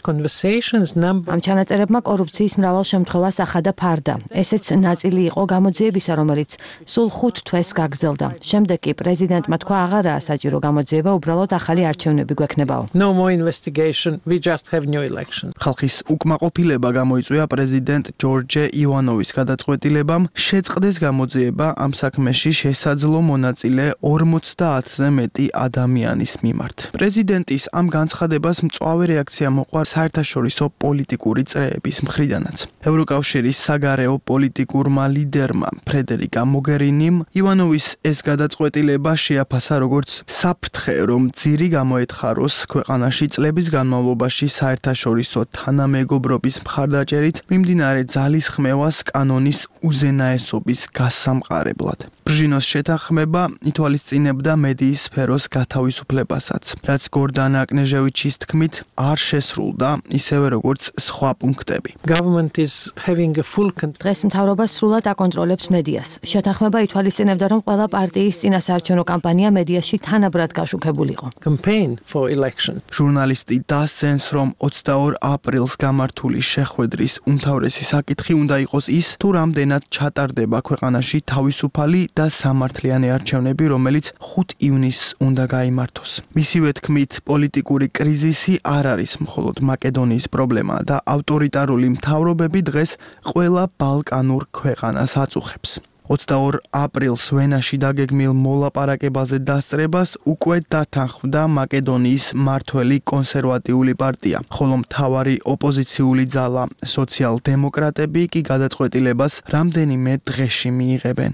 ამ ჩანაწერებმა კორუფციის მრავალ შემთხვევას ახადა ფარდა. ესეც ნაწილი იყო გამოძიებისა, რომელიც სულ 5 თვეს გაგრძელდა. შემდეგ კი პრეზიდენტმა თქვა, აღარაა საჭირო გამოძიება, უბრალოდ ახალი არჩევნები გვექნებაო. ხალხის უკმაყოფილება გამოიწვია პრეზიდენტ ჯორჯე ივანოვის გადაწყვეტილებამ შეწყდეს გამოძიება ამ საქმეში შესაძლო მონაწილე 50-ზე მეტი ადამიანის მიმართ. პრეზიდენტის ამ განცხადებას მწვავე რეაქცია მოყვა საერთაშორისო პოლიტიკური წრეების მხრიდანაც. ევროკავშირის საგარეო პოლიტიკურმა ლიდერმა ფრედერიკა მოგერინიმ ივანოვის ეს გადაწყვეტილება შეაფასა როგორც საფრთხე, რომ ძირი გამოეთხაროს ქვეყანაში წლების განმავლობაში საერთაშორისო თანამეგობრობის მხარდაჭერით მიმდინარე ძალისხმევას კანონის უზენაესობის გასამყარებლად. ბრჟინოს შეთანხმება ითვალისწინებდა მედიის სფეროს გათავისუფლებასაც, რაც გორდანა აკნეჟევიჩის თქმით არ შესრულდა, ისევე როგორც სხვა პუნქტები. დღეს მთავრობა სრულად აკონტროლებს მედიას. შეთანხმება ითვალისწინებდა, რომ ყველა პარტიის წინასაარჩევნო კამპანია მედიაში თანაბრად გაშუქებულიყო. ჟურნალისტი დასცენს, რომ 22 აპრილს გამართული შეხვედრის უმთავრესი საკითხი უნდა იყოს ის, თუ რამდენად ჩატარდება ქვეყანაში თავისუფალი და სამართლიანი არჩევნები, რომელიც 5 ივნისს უნდა გაიმართოს. მისივე თქმით, პოლიტიკური კრიზისი არ არის მხოლოდ მაკედონიის პრობლემა და ავტორიტარული მთავრობები დღეს ყველა ბალკანურ ქვეყანას აწუხებს. 22 აპრილს ვენაში დაგეგმილ მოლაპარაკებაზე დასწრებას უკვე დათანხმდა მაკედონიის მმართველი კონსერვატიული პარტია, ხოლო მთავარი ოპოზიციული ძალა სოციალ-დემოკრატები კი გადაწყვეტილებას რამდენიმე დღეში მიიღებენ.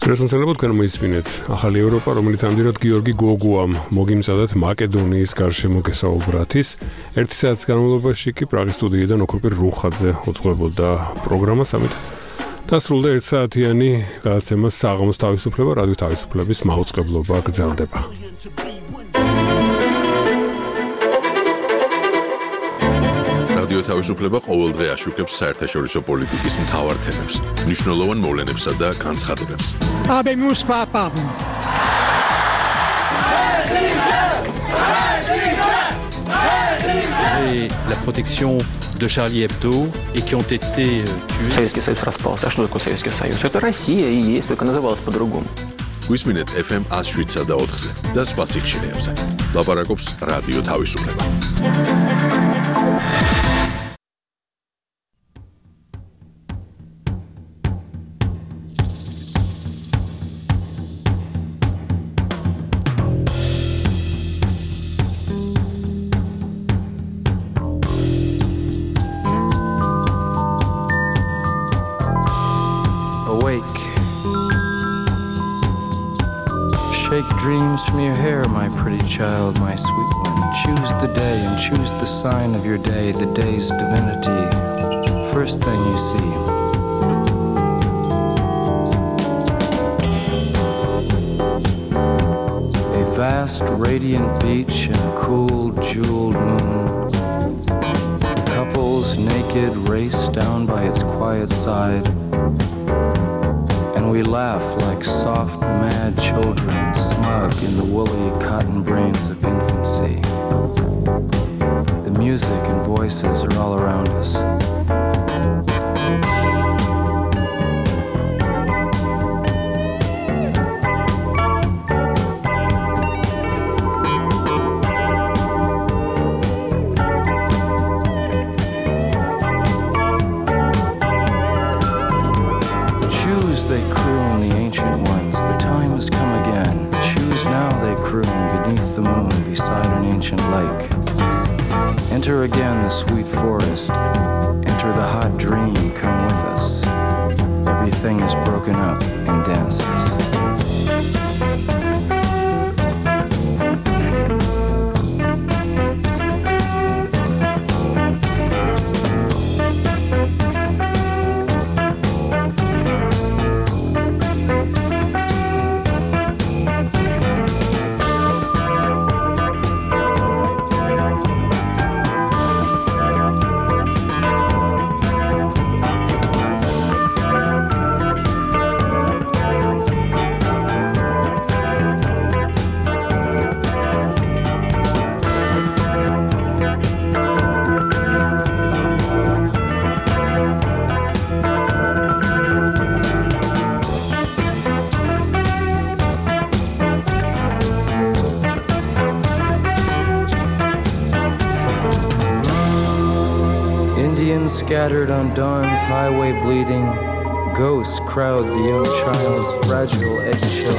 შესაძლებლად თქვენ მოისმინეთ ახალი ევროპა, რომელიც ამდენად გიორგი გოგუამ მოგიმზადათ მაკედონიის გარშემო გესაუბრათის. 1 საათის განმავლობაში კი პრაღის სტუდიიდან ოქროპირ რუხაძე უძღვებოდა პროგრამას, ამით დასრულდა 1 საათიანი გადაცემა საღამოს თავისუფლება, რადიო თავისუფლების მაუწყებლობა გრძელდება. რადიო თავისუფლება ყოველდღე აშუქებს საერთაშორისო პოლიტიკის მთავარ თემებს, მნიშვნელოვან მოვლენებსა და განცხადებებს. La protection de Charlie Hebdo et qui ont été tués. Советский Союз распался. А что такое Советский Союз? Это Россия и есть, только называлась по-другому. გვისმინეთ FM 107 და 4-ზე და სხვა სიხშირეებზე. ლაპარაკობს რადიო თავისუფლება. Shake dreams from your hair, my pretty child, my sweet one. Choose the day and choose the sign of your day, the day's divinity. First thing you see. A vast, radiant beach and a cool, jeweled moon. Couples naked race down by its quiet side. And we laugh like soft, mad children, smug in the woolly cotton brains of infancy. The music and voices are all around us. They croon, the ancient ones, the time has come again. Choose now, they croon, beneath the moon, beside an ancient lake. Enter again the sweet forest, enter the hot dream, come with us. Everything is broken up in dances. Scattered on dawn's highway bleeding, Ghosts crowd the young child's fragile eggshell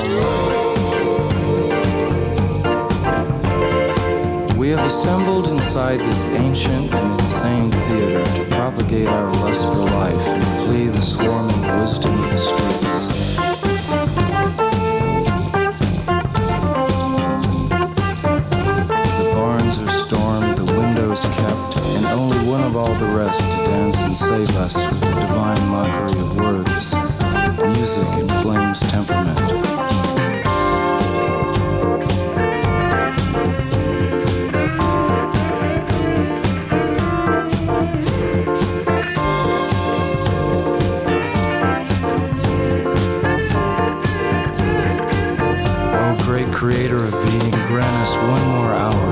mind. We have assembled inside this ancient and insane theater to propagate our lust for life and flee the swarming wisdom of the streets. The barns are stormed, the windows kept, and only one of all the rest to dance and save us with the divine mockery of words. Music inflames temperament. Creator of being, grant us one more hour